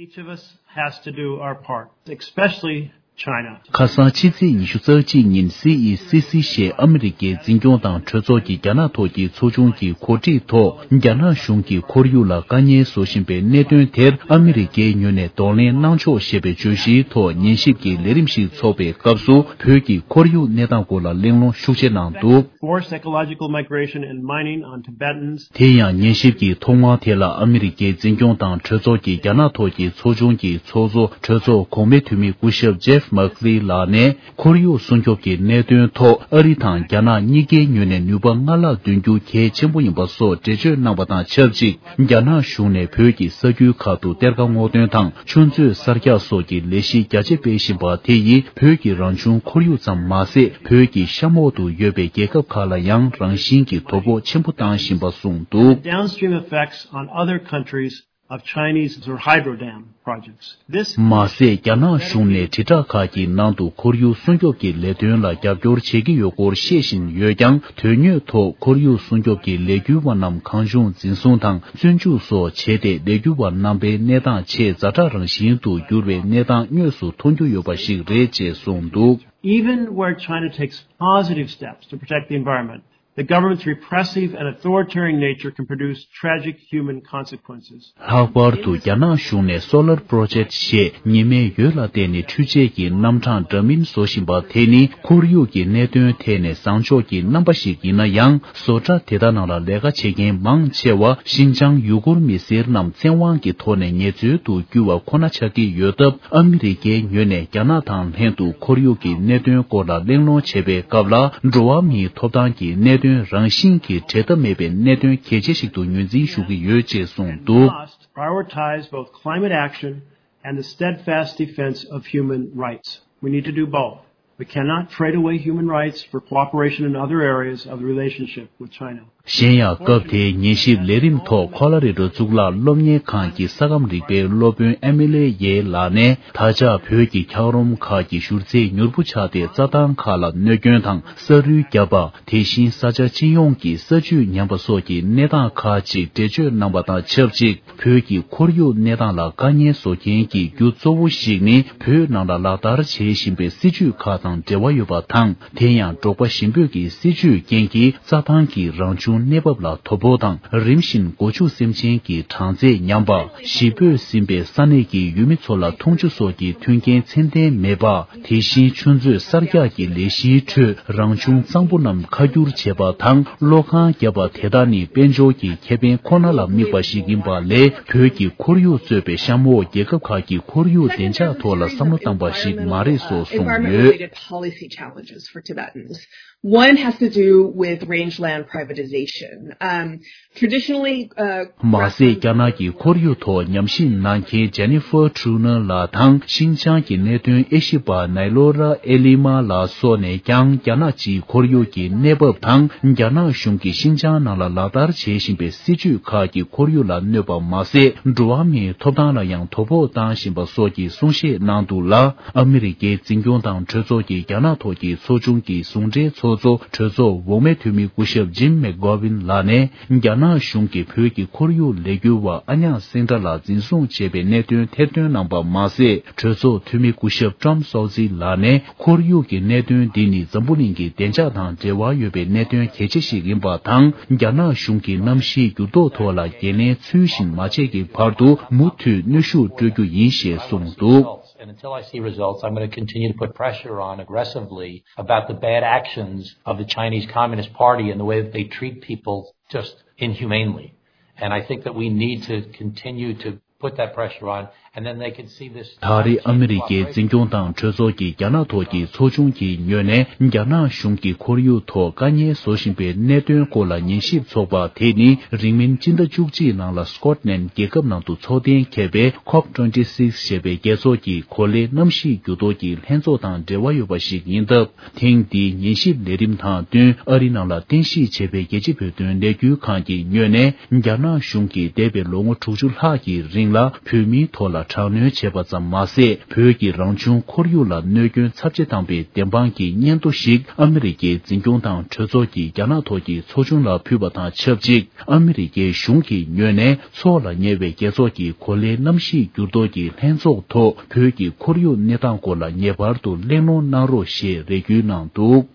Each of us has to do our part, especially China. ཁ་སང་ཕྱི་ཚེས་ཉི་ཤུ་རྩ་གཅིག་ཉིན་སི་ཨི་སི་སི་ཞེས་ཨ་མི་རི་ཀའི་འཛིན་སྐྱོང་དང་གྲོས་ཚོགས་ཀྱི་རྒྱ་ནག་ཐོག་གི་ཚོགས་ཆུང་གི་གོ་སྒྲིག་ཐོག་རྒྱ་ནག་གཞུང་གིས་ཁོར་ཡུག་ལ་དཀའ་ངལ་བཟོ་བཞིན་པའི་གནད་དོན་དེར་ཨ་མི་རི་ཀའི་ངོས་ནས་གདོང་ལེན་གནང་ཕྱོགས་ཞེས་པའི་བརྗོད་གཞིའི་ཐོག་ཉན་ཞིབ་ཀྱི་ལས་རིམ་ཞིག་འཚོགས་པའི་སྐབས་སུ། བོད་ཀྱི་ཁོར་ཡུག་གནས་སྟངས་སྐོར་ལ་གླེང་སློང་ཤུགས་ཆེ་གནང་འདུག། Forced ecological migration and mining on Tibetans. དེ་ཡང་ཉན་ཞིབ་ཀྱི་ཐོག་མར་དེ་ལ་ཨ་མི་རི་ཀའི་འཛིན་སྐྱོང་དང་གྲོས་ཚོགས་ཀྱི་རྒྱ་ནག་ཐོག་གི་ཚོགས་ཆུང་གི་ཚོགས་གཙོ་གྲོས་ཚོགས་གོང་མའི་འཐུས་མི་སྐུ་ཞབས་ཇེབ་མག་ལི་ལགས་ནས། ཁོར་ཡུག་སྲུང་སྐྱོབ་ཀྱི་གནད་དོན་ཐོག་ཨ་རི་དང་རྒྱ་ནག་གཉིས་ཀའི་ངོས་ནས་ནུས་པ་སྔར་ལྷག་འདོན་རྒྱུ་གལ་ཆེན་པོ་ཡིན་པ་སོགས་འགྲེལ་བརྗོད་གནང་བ་དང་ཆབས་ཅིག། རྒྱ་ནག་གཞུང་ནས་བོད་ཀྱི་ས་ཁུལ་ཁག་ཏུ་གཏེར་ཁ་སྔོག་འདོན་དང་ཆུ་མཛོད་གསར་རྒྱག་སོགས་ཀྱི་ལས་གཞི་རྒྱ་ཆེ་སྤེལ་བཞིན་པ་དེ་ཡིས་བོད་ཀྱི་རང་བྱུང་ཁོར་ཡུག་ཙམ་མ་ཟད། བོད་ཀྱི་གཤམ་འོག་ཏུ་ཡོད་པའི་རྒྱལ་ཁབ་ཁག་ལ་ཡང་རང་བཞིན་གྱིས་དོ་ཕོག་ཆེན་པོ་བཏང་བཞིན་པ་གསུངས་འདུག། Downstream effects on other countries of Chinese or hydro dam projects. This མ་ཟད། རྒྱ་ནག་གཞུང་ནས་དྲིལ་བསྒྲགས་ཁག་གི་ནང་དུ་ཁོར་ཡུག་སྲུང་སྐྱོབ་ཀྱི་ལས་དོན་ལ་རྒྱབ་སྐྱོར་བྱེད་ཀྱི་ཡོད་སྐོར་བཤད་བཞིན་ཡོད་ཀྱང་། དོན་དངོས་ཐོག་ཁོར་ཡུག་སྲུང་སྐྱོབ་ཀྱི་ལས་འགུལ་བ་རྣམས་གང་བྱུང་འཛིན་བཟུང་དང་བཙོན་འཇུག་སོགས་བྱས་ཏེ། ལས་འགུལ་བ་རྣམ་པའི་གནས་སྟངས་ཆེས་ཛ་དྲག་རང་བཞིན་དུ་གྱུར་བའི་གནས་སྟངས་དངོས་སུ་མཐོང་རྒྱུ་ཡོད་པ་ཞིག་རེད་ཅེས་གསུངས་འདུག། Even where China takes positive steps to protect the environment, the government's repressive and authoritarian nature can produce tragic human consequences. ལྷག་པར་དུ་རྒྱ་ནག་གཞུང་ནས་Solar Project ཞེས་ཉི་མའི་འོད་ལ་བརྟེན་ནས་འཕྲུལ་ཆས་ཀྱི་རྣམ་གྲངས་འདྲ་མིན་བཟོ་བཞིན་པ་དེ་ནི་ཁོར་ཡུག་གི་གནད་དོན་ཐད་ནས་བཟང་ཕྱོགས་ཀྱི་རྣམ་པ་ཞིག་ཡིན་ན་ཡང་། བཟོ་གྲྭ་དེ་དག་ནང་ལ་ལས་ཀ་བྱེད་མཁན་མང་ཆེ་བ་ཤིན་ཅང་ཡུ་གུར་མི་སེར་རྣམས་བཙན་དབང་གི་ཐོག་ནས་ངལ་རྩོལ་དུ་བསྐྱུར་བ་ཁོ་ན་ཆགས་ཀྱི་ཡོད་སྟབས། ཨ་མི་རི་ཀའི་ངོས་ནས་རྒྱ་ནག་དང་ལྷན་དུ་ཁོར་ཡུག་གི་གནད་དོན་སྐོར་ལ་གླེང་སློང་བྱེད་པའི་སྐབས་ལ། འགྲོ་བ་མིའི་ཐོབ་ཐང་གི་གནད་དོན་རང་བཞིན་གྱིས་འབྲལ་ཐབས་མེད་པའི་གནད་དོན་གལ་ཆེ་ཞིག་ཏུ་ངོས་འཛིན་ཞུ་གི་ཡོད་ཅེས་གསུངས་འདུག། Must prioritize both climate action and the steadfast defense of human rights. We need to do both. We cannot trade away human rights for cooperation in other areas of the relationship with China. གཞན་ཡང་། སྐབས་དེའི་ཉན་ཞིབ་ལས་རིམ་ཐོག་ཁོ་ལ་རི་རོ་གཙུག་ལག་སློབ་གཉེར་ཁང་གི་ས་ཁམས་རིག་པའི་སློབ་དཔོན་ཨེ་མི་ལེ་ཡེ་ལགས་ནས། ད་ཆ་བོད་ཀྱི་འཁྱགས་རོམ་ཁག་གི་བཞུར་རྫས་མྱུར་པོ་ཆགས་ཏེ། རྩྭ་ཐང་ཁག་ལ་གནོད་སྐྱོན་དང་ས་རུལ་བརྒྱབ་པ། དེ་བཞིན་ས་ཆ་སྤྱི་ཡོངས་ཀྱི་ས་བཅུད་ཉམས་པ་སོགས་ཀྱི་གནས་སྟངས་ཁག་ཅིག་འགྲེལ་བརྗོད་གནང་བ་དང་ཆབས་ཅིག། བོད་ཀྱི་ཁོར་ཡུག་གནས་སྟངས་ལ་དཀའ་ངལ་བཟོ་མཁན་གྱི་རྒྱུ་གཙོ་བོ་ཞིག་ནི། བོད་ནང་ལ་ལག་བསྟར་བྱེད་བཞིན་པའི་སྲིད་ཇུས་ཁག་དང་འབྲེལ་བ་ཡོད་པ་དང་། དེ་ཡང་། འབྲོག་པ་ཞིང་བོད་ཀྱི་སྲིད་ཇུས་རྐྱེན་གྱིས། རྩྭ་ཐང་གི་རང་བྱུང་གནས་བབ་ལ་དོ་ཕོག་དང་། རིམ་བཞིན་སྒོ་ཕྱུགས་སེམས་ཅན་གྱི་གྲངས་ཚད་ཉམས་པ། གཞིས་སྤོས་ཟིན་པའི་ས་གནས་ཀྱི་ཡུལ་མི་ཚོ་ལ་འཐུང་ཆུ་སོགས་ཀྱི་མཐུན་རྐྱེན་ཚད་ལྡན་མེད་པ། དེ་བཞིན་ཆུ་མཛོད་གསར་རྒྱག་གི་ལས་གཞིའི་ཁྲོད་རང་བྱུང་གཙང་པོ་རྣམས་ཁ་བསྒྱུར་བྱེད་པ་དང་། གློག་ཁང་བརྒྱབ་པ་དེ་དག་ནི་དཔལ་འབྱོར་གྱི་ཁེ་ཕན་ཁོ་ན་ལ་དམིགས་པ་ཞིག་ཡིན་པ་ལས། བོད་ཀྱི་ཁོར་ཡུག་གཙོས་པའི་གཤམ་འོག་རྒྱལ་ཁབ་ཁག་གི་ཁོར་ཡུག་བདེ་འཇགས་ཐོག་ལ་བསམ་བློ་བཏང་བ་ཞིག་མ་རེད་སོགས་གསུངས་ཡོད། Environment-related policy challenges for Tibetans. One has to do with rangeland privatization. Um, Traditionally, uh, མ་ཟད། རྒྱ་ནག་གི་ཁོར་ཡུག་ཐོག་ཉམས་ཞིབ་གནང་མཁན་Jennifer Truner ལགས་དང་ཤིན་ཅང་གི་གནད་དོན་དབྱེ་ཞིབ་པ་Nailora Elima ལགས་སོགས་ནས་ཀྱང་རྒྱ་ནག་སྤྱིའི་ཁོར་ཡུག་གི་གནས་བབ་དང་རྒྱ་ནག་གཞུང་གིས་ཤིན་ཅང་ནང་ལ་ལག་བསྟར་བྱེད་བཞིན་པའི་སྲིད་བྱུས་ཁག་གིས་ཁོར་ཡུག་ལ་གནོད་པ་མ་ཟད། འགྲོ་བ་མིའི་ཐོབ་ཐང་ལ་ཡང་དོ་ཕོག་བཏང་བཞིན་པ་སོགས་ཀྱི་གསུང་བཤད་གནང་འདུག་ལ། ཨ་མི་རི་ཀའི་འཛིན་སྐྱོང་དང་གྲོས་ཚོགས་ཀྱི་རྒྱ་ནག་ཐོག་གི་ཚོགས་ཆུང་གི་ཟུང་འབྲེལ་ཚོགས་གཙོ་གྲོས་ཚོགས་འོག་མའི་འཐུས་མི་སྐུ་ཞབས་Jim McGovern ལགས་ནས། རྒྱ་ནག་གཞུང་གིས་བོད་ཀྱི་ཁོར་ཡུག་ལས་འགུལ་བ་ཨ་ཉག་སེང་ཏྲ་ལ་འཛིན་བཟུང་བྱས་པའི་གནད་དོན་ཐེར་འདོན་གནང་པ་མ་ཟད། གྲོས་ཚོགས་འཐུས་མི་སྐུ་ཞབས་Tom Suozzi ལགས་ནས་ཁོར་ཡུག་གི་གནད་དོན་འདི་ནི་འཛམ་བུ་གླིང་གི་བདེ་འཇགས་དང་འབྲེལ་བ་ཡོད་པའི་གནད་དོན་གལ་ཆེ་ཞིག་ཡིན་པ་དང་། རྒྱ་ནག་གཞུང་གིས་གནམ་གཤིས་འགྱུར་ལྡོག་ཐོག་ལ་འགན་ལེན་ཚུལ་བཞིན་མ་བྱས་ཀྱི་བར་དུ་མུ་མཐུད་གནོན་ཤུགས་སྤྲོད་རྒྱུ་ཡིན་ཞེས་གསུངས་འདུག། And until I see results, I'm going to continue to put pressure on aggressively about the bad actions of the Chinese Communist Party and the way that they treat people just inhumanely. And I think that we need to continue to put that pressure on, and then they can see this. ད་རེས་ཨ་མི་རི་ཀའི་འཛིན་སྐྱོང་དང་གྲོས་ཚོགས་ཀྱིས་རྒྱ་ནག་ཐོག་གི་ཚོགས་ཆུང་གི་ངོས་ནས་རྒྱ་ནག་གཞུང་གིས་ཁོར་ཡུག་ཐོག་དཀའ་ངལ་བཟོ་བཞིན་པའི་གནད་དོན་སྐོར་ལ་ཉན་ཞིབ་ཚོགས་པ་དེ་ནི་རིང་མིན་སྤྱི་ཟླ་བཅུ་གཅིག་ནང་ལ་སྐོཊ་ལན་རྒྱལ་ཁབ་ནང་དུ་འཚོགས་གཏན་འཁེལ་བའི་ཁོབ་ཊུ་ཝེན་ཊི་སིག་ཞེས་པའི་རྒྱལ་ཚོགས་ཀྱི་གོ་ལའི་གནམ་གཤིས་འགྱུར་ལྡོག་གི་ལྷན་ཚོགས་དང་འབྲེལ་བ་ཡོད་པ་ཞིག་ཡིན་སྟབས། ཐེངས་འདིའི་ཉན་ཞིབ་ལས་རིམ་དང་བསྟུན། ཨ་རི་ནང་ལ་རྟེན་གཞི་བྱས་པའི་རྒྱལ་སྤྱིའི་བོད་དོན་ལས་འགུལ་ཁང་གི་ངོས་ནས། རྒྱ་ནག་གཞུང་གིས་འདས་པའི་ལོ་ངོ་དྲུག་ཅུ་ལྷག་གི་རིང་ལ་བོད་མིའི་ཐོག་ལ་དྲག་གནོན་བྱས་པ་ཙམ་མ་ཟད། བོད་ཀྱི་རང་བྱུང་ཁོར་ཡུག་ལ་གནོད་སྐྱོན་ཚབས་ཆེ་བཏང་པའི་བདེན་དཔང་གི་སྙན་ཐོ་ཞིག་ཨ་མི་རི་ཀའི་འཛིན་སྐྱོང་དང་གྲོས་ཚོགས་ཀྱིས་རྒྱ་ནག་ཐོག་གི་ཚོགས་ཆུང་ལ་ཕུལ་བ་དང་ཆབས་ཅིག། ཨ་མི་རི་ཀའི་གཞུང་གི་ངོས་ནས། ཚོགས་ལ་ཉེ་བའི་རྒྱལ་ཚོགས་ཀྱི་གོ་ལའི་གནམ་གཤིས་འགྱུར་ལྡོག་གི་ལྷན་ཚོགས་ཐོག་བོད་ཀྱི་ཁོར་ཡུག་གནས་སྟངས་སྐོར་ལ་ངེས་པར་དུ་གླེང་སློང་གནང་རོགས་ཞེས་རེ་སྐུལ་གནང་འདུག།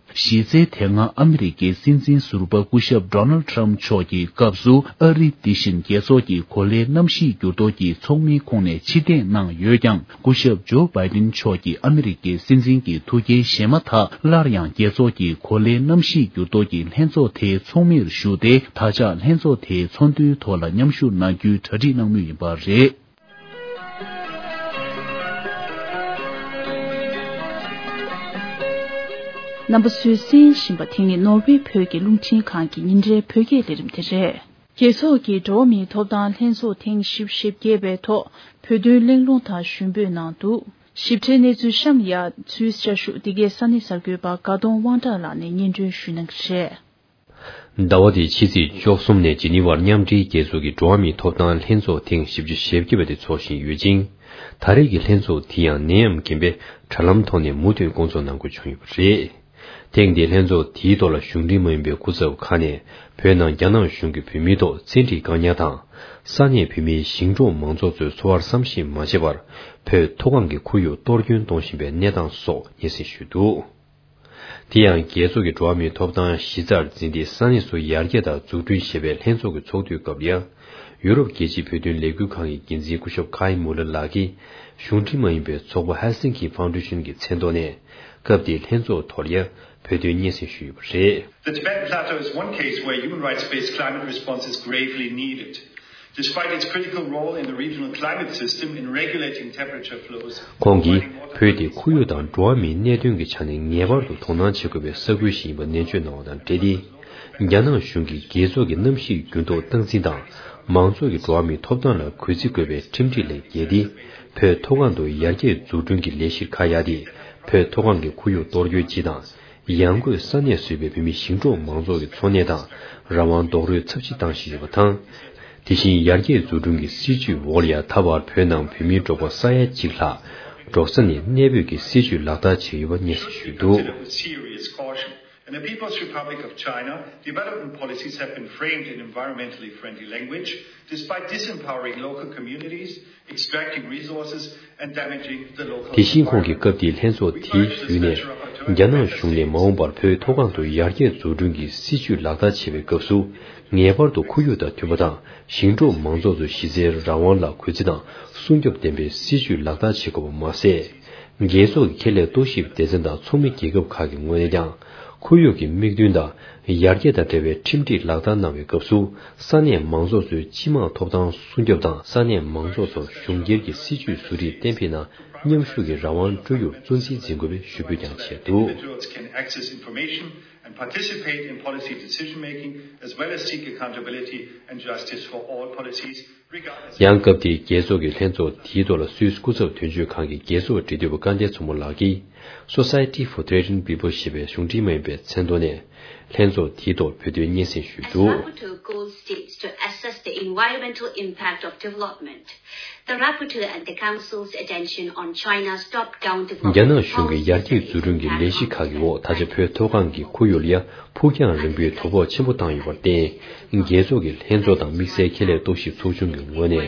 གཞི་རྩའི་དེ་སྔ་ཨ་མི་རི་ཀའི་སྲིད་འཛིན་ཟུར་པ་སྐུ་ཞབས་Donald Trump མཆོག་གི་སྐབས་སུ། ཨ་རི་འདི་བཞིན་རྒྱལ་ཚོགས་ཀྱི་གོ་ལའི་གནམ་གཤིས་འགྱུར་ལྡོག་གི་ཚོགས་མིའི་ཁོངས་ནས་ཕྱིར་འཐེན་གནང་ཡོད་ཀྱང་། སྐུ་ཞབས་ཇོ་བྷའི་ཏིན་མཆོག་གིས་ཨ་མི་རི་ཀའི་སྲིད་འཛིན་གྱི་ཐུགས་འགན་བཞེས་མ་ཐག་སླར་ཡང་རྒྱལ་ཚོགས་ཀྱི་གོ་ལའི་གནམ་གཤིས་འགྱུར་ལྡོག་གི་ལྷན་ཚོགས་དེའི་ཚོགས་མིར་ཞུགས་ཏེ། ད་ཆ་ལྷན་ཚོགས་དེའི་ཚོགས་འདུའི་ཐོག་ལ་མཉམ་ཞུགས་གནང་རྒྱུའི་གྲ་སྒྲིག་གནང་མུས་ཡིན་པ་རེད། རྣམ་པ་ཚོས་གསན་བཞིན་པ་དེ་ནི་ནོར་ཝེ་བོད་ཀྱི་རླུང་འཕྲིན་ཁང་གི་ཉིན་རེའི་བོད་སྐད་ལས་རིམ་དེ་རེད། རྒྱལ་ཚོགས་ཀྱི་འགྲོ་བ་མིའི་ཐོབ་ཐང་ལྷན་ཚོགས་ཐེངས་བཞི་བཅུ་ཞེ་བརྒྱད་པའི་ཐོག་བོད་དོན་གླེང་སློང་དང་ཞུ་འབོད་གནང་འདུག། ཞིབ་ཕྲའི་གནས་ཚུལ་གཤམ་ཡ་ཚུར་བསྐྱར་ཞུ། འདི་གའི་ས་གནས་གསར་འགོད་པ་དགའ་གདོང་དབང་གྲགས་ལགས་ནས་སྙན་སྒྲོན་ཞུ་གནང་གི་རེད། ཟླ་བ་འདིའི་ཕྱི་ཚེས་བཅུ་གསུམ་ནས་ཇི་ནི་ཝར་མཉམ་འབྲེལ་རྒྱལ་ཚོགས་ཀྱི་འགྲོ་བ་མིའི་ཐོབ་ཐང་ལྷན་ཚོགས་ཐེངས་བཞི་བཅུ་ཞེ་བརྒྱད་པ་དེ་འཚོགས་བཞིན་ཡོད་ཅིང་། ད་རེས་ཀྱི་ལྷན་ཚོགས་དེ་ཡང་ནད་ཡམས་རྐྱེན་པས་དྲ་ལམ་ཐོག་ནས་མུ་མཐུད་སྐོང་ཚོགས་གནང་དགོས་བྱུང་ཡོད་པ་རེད། ཐེངས་འདིའི་ལྷན་ཚོགས་དེའི་ཐོག་ལ་གཞུང་འབྲེལ་མ་ཡིན་པའི་སྐུ་ཚབ་ཁག་ནས་བོད་ནང་རྒྱ་ནག་གཞུང་གིས་བོད་མིའི་ཐོག་བཙན་ཁྲིད་བཀག་ཉར་དང་། ས་གནས་བོད་མིའི་ཞིང་འབྲོག་མང་ཚོགས་ཚོའི་འཚོ་བར་བསམ་ཤེས་མ་བྱས་པར་བོད་མཐོ་སྒང་གི་ཁོར་ཡུག་གཏོར་སྐྱོན་གཏོང་བཞིན་པའི་གནས་སྟངས་སོགས་སྙན་སེང་ཞུས་འདུག། དེ་ཡང་རྒྱལ་ཚོགས་ཀྱི་འགྲོ་བ་མིའི་ཐོབ་ཐང་གཞི་རྩར་འཛིན་ཏེ་ས་གནས་སུ་ཡར་རྒྱས་དང་འཛུགས་སྐྲུན་ཞེས་པའི་ལྷན་ཚོགས་ཀྱི་ཚོགས་དུས་སྐབས་ལ་ཡང་། ཡུ་རོབ་རྒྱལ་སྤྱིའི་བོད་དོན་ལས་འགུལ་ཁང་གི་འགན་འཛིན་སྐུ་ཞབས་ཁའི་མུ་ལར་ལགས་ཀྱིས་གཞུང་འབྲེལ་མ་ཡིན་པའི་ཚོགས་པ་Helsinki Foundation གྱི་མཚན་ཐོག་ནས་སྐབས་དེའི་ལྷན་ཚོགས་ཐོག་ལ་ཡང་བོད་དོན་སྙན་སེང་ཞུས་ཡོད་པ་རེད། The Tibetan Plateau is one case where human rights-based climate response is gravely needed. Despite its critical role in the regional climate system in regulating temperature flows, ཁོང་གིས་བོད་དེ་ཁོར་ཡུག་དང་འགྲོ་བ་མིའི་གནད་དོན་གྱི་ཆ་ནས་ངེས་པར་དུ་དོ་སྣང་བྱེད་དགོས་པའི་ས་ཁུལ་ཞིག་ཡིན་པ་ནན་བརྗོད་གནང་བ་དང་འབྲེལ་ཏེ། རྒྱ་ནག་གཞུང་གིས་རྒྱལ་ཚོགས་ཀྱི་གནམ་གཤིས་འགྱུར་ལྡོག་སྟངས་འཛིན་དང་མང་ཚོགས་ཀྱི་འགྲོ་བ་མིའི་ཐོབ་ཐང་ལ་གུས་བརྩི་དགོས་པའི་ཁྲིམས་སྒྲིག་ལས་འགལ་ཏེ། བོད་མཐོ་སྒང་དུ་ཡར་རྒྱས་འཛུགས་སྐྲུན་གྱི་ལས་གཞིར་ཁ་གཡར་ཏེ། བོད་མཐོ་སྒང་གི་ཁོར་ཡུག་གཏོར་སྐྱོན་སྤྱི་དང་། ཡང་སྒོས་ས་གནས་བཟོས་པའི་བོད་མི་ཞིང་འབྲོག་མང་ཚོགས་ཀྱི་འཚོ་གནས་དང་རང་དབང་རྡོག་རོལ་ཚབས་ཆེ་བཏང་བཞིན་ཡོད་པ་དང་། དེ་བཞིན་ཡར་རྒྱས་འཛུགས་སྐྲུན་གྱི་སྲིད་ཇུས་འོག་ལ་ཡང་ད་བར་བོད་ནང་བོད་མིའི་འགྲོ་སྐོར་ས་ཡ་གཅིག་ལྷག་འབྲོག་ས་ནས་གནས་སྤོས་ཀྱི་སྲིད་ཇུས་ལག་བསྟར་བྱས་ཡོད་པ་སྙན་སེང་ཞུས་འདུག། Serious caution. In the People's Republic of China, development policies have been framed in environmentally friendly language, despite disempowering local communities, extracting resources, and damaging the local environment. དེ་བཞིན་ཁོང་གིས་སྐབས་དེའི་ལྷན་ཚོགས་དེའི་བརྒྱུད་ནས། རྒྱ་ནག་གཞུང་ནས་མ་འོངས་པར་བོད་མཐོ་སྒང་དུ་ཡར་རྒྱས་འཛུགས་སྐྲུན་གྱི་སྲིད་ཇུས་ལག་བསྟར་བྱེད་པའི་སྐབས་སུ། ངེས་པར་དུ་ཁོར་ཡུག་དང་མཐུན་པ་དང་། ཞིང་འབྲོག་མང་ཚོགས་ཚོའི་གཞི་རྩའི་རང་དབང་ལ་གུས་བརྩི་དང་སྲུང་སྐྱོབ་ལྡན་པའི་སྲིད་ཇུས་ལག་བསྟར་བྱེད་དགོས་པ་མ་ཟད། རྒྱལ་ཚོགས་ཀྱི་ཁེ་ལས་རྟོག་ཞིབ་སྡེ་ཚན་དང་ཚོགས་མི་རྒྱལ་ཁབ་ཁག་གི་ངོས་ནས་ཀྱང་། ཁོར་ཡུག་གི་དམིགས་འདུན་དང་ཡར་རྒྱས་དང་འབྲེལ་བའི་ཁྲིམས་སྒྲིག་ལག་བསྟར་གནང་བའི་སྐབས་སུ། ས་གནས་མང་ཚོགས་ཚོའི་སྤྱི་དམངས་ཐོབ་ཐང་སྲུང་སྐྱོབ་དང་། ས་གནས་མང་ཚོགས་ཚོར་གཞུང་སྒེར་གྱི་སྲིད་ཇུས་བཟོ་སྒྲིག་གཏན་འབེབས་ནང་མཉམ་ཞུགས་ཀྱི་རང་དབང་སྤྲོད་རྒྱུར་གཙོ་འཛིན་འཛིན་དགོས་པའི་ཞུ་འབོད་ཀྱང་བྱས་འདུག། Individuals can access information and participate in policy decision-making, as well as seek accountability and justice for all policies, regardless. ཡང་སྐབས་དེའི་རྒྱལ་ཚོགས་ཀྱི་ལྷན་ཚོགས་དེའི་ཐོག་ལ་སུད་སི་སྐུ་ཚབ་དོན་གཅོད་ཁང་གི་རྒྱལ་ཚོགས་འབྲེལ་མཐུད་པ་སྐལ་ལྡན་མཚོ་མོ་ལགས་ཀྱིས། Society for Trading People ཞེས་པའི་གཞུང་འབྲེལ་མ་ཡིན་པའི་མཚན་ཐོག་ནས་ལྷན་ཚོགས་དེའི་ཐོག་བོད་དོན་སྙན་སེང་ཞུས་འདུག། Rapporteur calls states to assess the environmental impact of development. The rapporteur and the council's attention on China's top-down development རྒྱ་ནག་གཞུང་གིས་ཡར་རྒྱས་འཛུགས་སྐྲུན་གྱི་ལས་གཞི་ཁག་གི་འོག་ད་ཆ་བོད་མཐོ་སྒང་གི་ཁོར་ཡུག་ལ་ཡ་ཕུགས་རྒྱང་རིང་པོའི་དོ་ཕོག་ཆེན་པོ་བཏང་ཡོད་པར་བརྟེན། རྒྱལ་ཚོགས་ཀྱི་ལྷན་ཚོགས་དང་དམིགས་བསལ་ཁེ་ལས་རྟོག་ཞིབ་ཚོགས་ཆུང་གི་ངོས་ནས།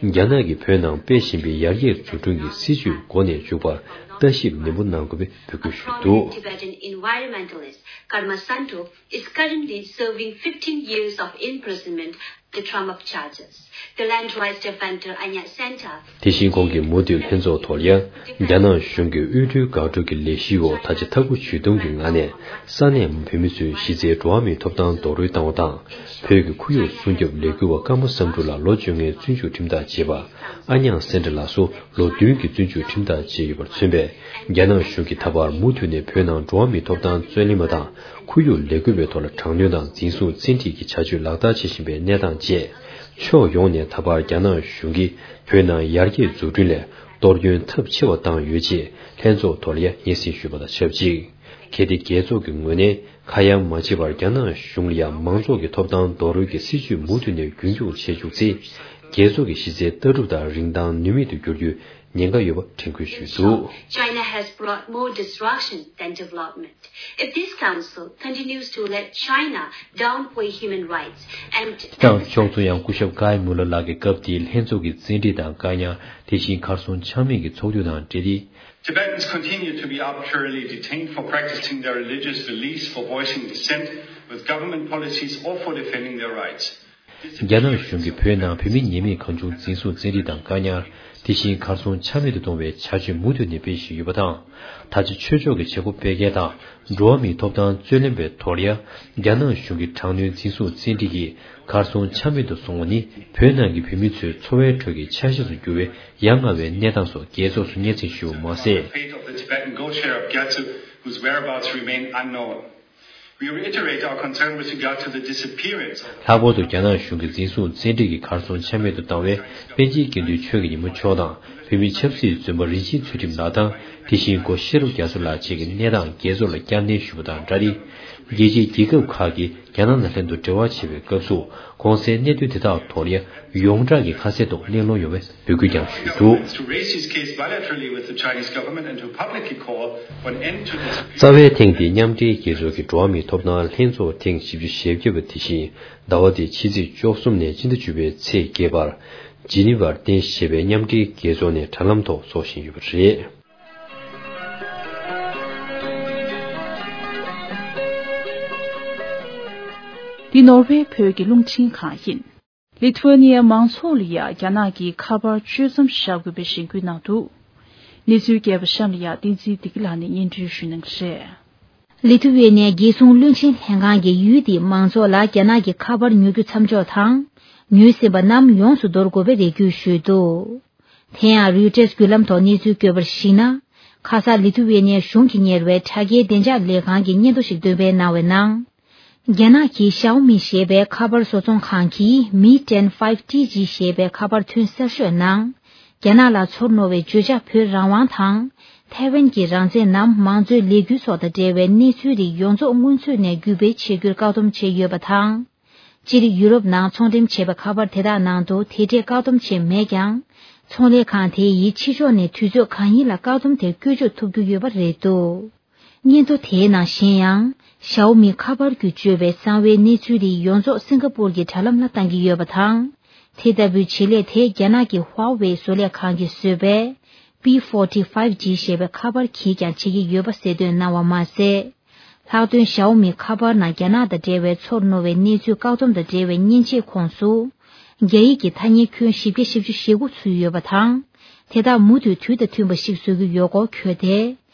རྒྱ་ནག་གིས་བོད་ནང་སྤེལ་བཞིན་པའི་ཡར་རྒྱས་འཛུགས་སྐྲུན་གྱི་སྲིད་བྱུས་འགོ་ནས་མཇུག་བར་ལྟ་ཞིབ་ནན་པོ་གནང་དགོས་པའི་འབོད་སྐུལ་ཞུས་འདུག། Prominent Tibetan environmentalist Karma Santo is currently serving fifteen years of imprisonment on the trumped charges. The land rights defender Anya Santa དེ་བཞིན་ཁོང་གིས་མུ་མཐུད་ལྷན་ཚོགས་ཐོག་ལ་ཡང་རྒྱ་ནག་གཞུང་གི་དབུལ་སྒྲོལ་འགག་སྒྲོལ་གྱི་ལས་གཞིའི་འོག་ད་ཆ་ཐབས་བཀོད་ཇུས་སྟོང་གི་ངང་ནས་ས་གནས་བོད་མི་ཚོའི་གཞི་རྩའི་འགྲོ་བ་མིའི་ཐོབ་ཐང་རྡོག་རོལ་བཏང་བ་དང་། བོད་ཀྱི་ཁོར་ཡུག་སྲུང་སྐྱོབ་ལས་འགུལ་བ་ཀརྨ་བསམ་འགྲུབ་ལགས་ལོ་བཅོ་ལྔའི་བཙོན་འཇུག་ཁྲིམས་ཐག་བཅད་པ། ཨ་ཉང་སེན་ཏྲ་ལགས་སུ་ལོ་བདུན་གྱི་བཙོན་འཇུག་ཁྲིམས་ཐག་བཅད་ཡོད་པར་མཚོན་པས། རྒྱ་ནག་གཞུང་གིས་ད་བར་མུ་མཐུད་ནས་བོད་ནང་འགྲོ་བ་མིའི་ཐོབ་ཐང་རྩོད་ལེན་པ་དང་། ཁོར་ཡུག་ལས་འགུལ་བའི་ཐོག་ལ་དྲག་གནོན་དང་འཛིན་བཟུང་བཙན་ཁྲིད་ཀྱི་བྱ་སྤྱོད་ལག་བསྟར་བྱེད་བཞིན་པའི་གནས་སྟངས་བཅས། ཕྱོགས་ཡོངས་ནས་ད་བར་རྒྱ་ནག་གཞུང་གིས་བོད་ནང་ཡར་རྒྱས་འཛུགས་སྐྲུན་ལ་གཏོར་སྐྱོན་ཚབས་ཆེ་བ་བཏང་ཡོད་ཅེས་ལྷན་ཚོགས་ཐོག་ལ་ཡང་སྙན་སེང་ཞུས་པ་དང་ཆབས་ཅིག། གལ་ཏེ་རྒྱལ་ཚོགས་ཀྱི་ངོས་ནས་ཁ་ཡ་མ་བྱེད་པར་རྒྱ་ནག་གཞུང་ལ་ཡང་མང་ཚོགས་ཀྱི་ཐོབ་ཐང་རྡོག་རོལ་གྱི་སྲིད་བྱུས་མུ་མཐུད་ནས་རྒྱུན་འཁྱོངས་བྱེད་བཅུག་ཚེ། རྒྱལ་ཚོགས་ཀྱི་གཞི་རྩའི་ལྟ་གྲུབ་དང་རིན་ཐང་ནུས་མེད་དུ་འགྱུར་རྒྱུའི་ཉེན་ཁ་ཡོད་པ་དྲན་སྐུལ་ཞུས་འདུག། China has brought more destruction than development. If this council continues to let China downplay human rights and དང་ཕྱོགས་མཚུངས་ཡང་སྐུ་ཞབས་ཀའི་མུ་ལར་ལགས་ཀྱིས་སྐབས་དེའི་ལྷན་ཚོགས་ཀྱི་བཙན་ཁྲིད་དང་བཀག་ཉར། དེ་བཞིན་གར་སོང་ཆ་མེད་ཀྱི་ཚོགས་འདུ་དང་འབྲེལ་ཏེ། Tibetans continue to be arbitrarily detained for practicing their religious beliefs, for voicing dissent with government policies, or for defending their rights. རྒྱ་ནག་གཞུང་གིས་བོད་ནང་བོད་མི་ཉེས་མེད་གང་བྱུང་འཛིན་བཟུང་བཙན་ཁྲིད་དང་བཀག་ཉར། དེ་བཞིན་གར་སོང་ཆ་མེད་དུ་གཏོང་བའི་བྱ་སྤྱོད་མུ་མཐུད་ནས་སྤེལ་བཞིན་ཡོད་པ་དང་། ད་ཆ་ཆོས་ཕྱོགས་ཀྱི་བྱེད་སྒོ་སྤེལ་མཁན་དང་འགྲོ་བ་མིའི་ཐོབ་ཐང་རྩོད་ལེན་པའི་ཐོག་ལ་ཡང་རྒྱ་ནག་གཞུང་གི་དྲག་གནོན་འཛིན་བཟུང་བཙན་ཁྲིད་ཀྱིས་གར་སོང་ཆ་མེད་དུ་བཟུང་བ་ནི་བོད་ནང་གི་བོད་མི་ཚོའི་འཚོ་བའི་ཁྲོད་ཀྱི་ཆ་ཤས་སུ་གྱུར་བའི་ཡ་ང་བའི་གནས་སྟངས་སོགས་རྒྱལ་ཚོགས་སུ་སྙན་སེང་ཞུས་པ་མ་ཟད། Fate of the Tibetan Goshar of Gyatso, whose whereabouts remain unknown. We reiterate our concern with regard to the disappearance of ལྷག་པར་དུ་རྒྱ་ནག་གཞུང་གིས་འཛིན་བཟུང་བཙན་ཁྲིད་ཀྱིས་གར་སོང་ཆ་མེད་དུ་བཏང་བའི་པཎ་ཆེན་དགེ་འདུན་ཆོས་ཀྱི་ཉིན་མོ་མཆོག་དང་བོད་མིའི་ཆབ་སྲིད་བཙོན་པ་རིན་ཆེན་ཚུལ་ཁྲིམས་ལགས་དང་དེ་བཞིན་སྒོ་ཤེས་རབ་རྒྱ་མཚོ་ལགས་བཅས་ཀྱི་གནས་སྟངས་རྒྱལ་ཚོགས་ལ་བསྐྱར་ནན་ཞུས་པ་དང་སྦྲགས་ཏེ། རྒྱལ་སྤྱིའི་རྒྱལ་ཁབ་ཁག་གིས་རྒྱ་ནག་དང་ལྷན་དུ་འབྲེལ་བ་བྱེད་པའི་སྐབས་སུ་གོང་གསལ་གནད་དོན་དེ་དག་ཐོག་ལ་ཡང་ཡོངས་གྲགས་ཀྱི་ཁ་གསལ་ཐོག་གླེང་སློང་ཡོང་བའི་འབོད་སྐུལ་ཀྱང་ཞུས་འདུག། To raise his case bilaterally with the Chinese government and to publicly call for an end to this རྩ་བའི་ཐེངས་འདིའི་མཉམ་འབྲེལ་རྒྱལ་ཚོགས་ཀྱི་འགྲོ་བ་མིའི་ཐོབ་ཐང་ལྷན་ཚོགས་ཐེངས་བཞི་བཅུ་ཞེ་བརྒྱད་པ་དེ་བཞིན་ཟླ་བ་འདིའི་ཕྱི་ཚེས་བཅུ་གསུམ་ནས་སྤྱི་ཟླ་བཅུ་པའི་ཚེས་བརྒྱད་བར་ཇི་ནི་ཝར་རྟེན་གཞི་བྱས་པའི་མཉམ་འབྲེལ་རྒྱལ་ཚོགས་ནས་དྲ་ལམ་ཐོག་འཚོགས་བཞིན་ཡོད་པ་རེད། འདི་ནོར་ཝེ་བོད་ཀྱི་རླུང་འཕྲིན་ཁང་ཡིན། ལི་ཐུ་ཝེ་ནི་ཡའི་མང་ཚོགས་ལ་ཡ་རྒྱ་ནག་གིས་ཁ་པར་གཅོད་མཚམས་བཞག་དགོས་པའི་གཞེན་སྐུལ་གནང་འདུག། གནས་ཚུལ་རྒྱས་པ་གཤམ་ལ་ཡ་བསྟན་འཛིན་བདེ་སྐྱིད་ལགས་ནས་སྙན་སྒྲོན་ཞུ་གནང་གི་རེད། ལི་ཐུ་ཝེ་ནི་ཡའི་རྒྱལ་སྲུང་བློན་ཆེན་ལྷན་ཁང་གིས་ཡུལ་དེའི་མང་ཚོགས་ལ་རྒྱ་ནག་གི་ཁ་པར་ཉོ་རྒྱུ་མཚམས་འཇོག་དང་། ཉོས་ཟིན་པ་རྣམས་ཡོངས་སུ་འདོར་དགོས་པའི་རེ་སྐུལ་ཞུས་འདུག། དེ་ཡང་རོའི་ཊར་བརྒྱུད་ལམ་ཐོག་གནས་ཚུལ་བཀོད་པར་གཞིགས་ན། ཁ་ས་ལི་ཐུ་ཝེ་ནི་ཡའི་གཞུང་གིས་གཉེར་བའི་དྲ་རྒྱའི་བདེ་འཇགས་ལས་ཁང་གིས་སྙན་ཐོ་ཞིག་འདོན་སྤེལ་གནང་བའི་ནང་། རྒྱ་ནག་གི་ཞའོ་མི་ཞེས་པའི་ཁ་པར་བཟོ་ཚོང་ཁང་གིས་མི་ཊེན་ཕའིབ་ཊི་ཇི་ཞེས་པའི་ཁ་པར་ཐོན་གསར་ཤོས་ནང་། རྒྱ་ནག་ལ་ཚོར་རྣོ་བའི་བརྗོད་བྱ་བོད་རང་དབང་དང་། ཐའེ་ཝན་གྱི་རང་བཙན་ནམ་མང་གཙོའི་ལས་འགུལ་སོགས་དང་འབྲེལ་བའི་གནས་ཚུལ་རིགས་ཡོངས་རྫོགས་སྔོན་ཚུད་ནས་བརྒྱུད་སྤེལ་བྱེད་རྒྱུར་བཀག་སྡོམ་བྱས་ཡོད་པ་དང་། སྤྱིར་ཡུ་རོབ་ནང་ཚོང་འགྲེམས་བྱས་པའི་ཁ་པར་དེ་དག་ནང་དུ་དེ་འདྲའི་བཀག་སྡོམ་བྱས་མེད་ཀྱང་། ཚོང་ལས་ཁང་དེ་ཡིས་ཕྱི་ཕྱོགས་ནས་དུས་ཚོད་གང་ཡིན་ལ་བཀག་སྡོམ་དེ་བཀོལ་སྤྱོད་ཐུབ་རྒྱུ་ཡོད་པ་རེད་འདུག། སྙན་ཐོ་དེའི་ནང་གཞན་ཡང་། ཞའོ་མི་ཁ་པར་བརྒྱུད་བཅོལ་བའི་གསང་བའི་གནས་ཚུལ་རིགས་ཡོངས་རྫོགས་སིང་ག་པུར་གྱི་དྲ་ལམ་ལ་བཏང་གི་ཡོད་པ་དང་། དེ་ལྟ་བུའི་བྱེད་ལས་དེ་རྒྱ་ནག་གི་ཧྭ་ཝེ་བཟོ་ལས་ཁང་གིས་བཟོས་པའི་པི་ཕོར་ཊི་ཕའིབ་ཇི་ཞེས་པའི་ཁ་པར་གྱིས་ཀྱང་བྱེད་ཀྱི་ཡོད་པ་གསལ་སྟོན་གནང་བ་མ་ཟད། ལྷག་དོན་ཞའོ་མི་ཁ་པར་ནང་རྒྱ་ནག་དང་འབྲེལ་བའི་ཚོར་རྣོ་བའི་གནས་ཚུལ་བཀག་སྡོམ་དང་འབྲེལ་བའི་མཉེན་ཆས་ཁོངས་སུ། རྒྱ་ཡིག་གི་ཐ་སྙད་ཁྱོན་བཞི་བརྒྱ་བཞི་བཅུ་ཞེ་དགུ་ཚུད་ཡོད་པ་དང་། དེ་དག་མུ་མཐུད་དུས་དང་མཐུན་པ་ཞིག་བཟོ་རྒྱུ་ཡོད་སྐོར་འཁོད་དེ།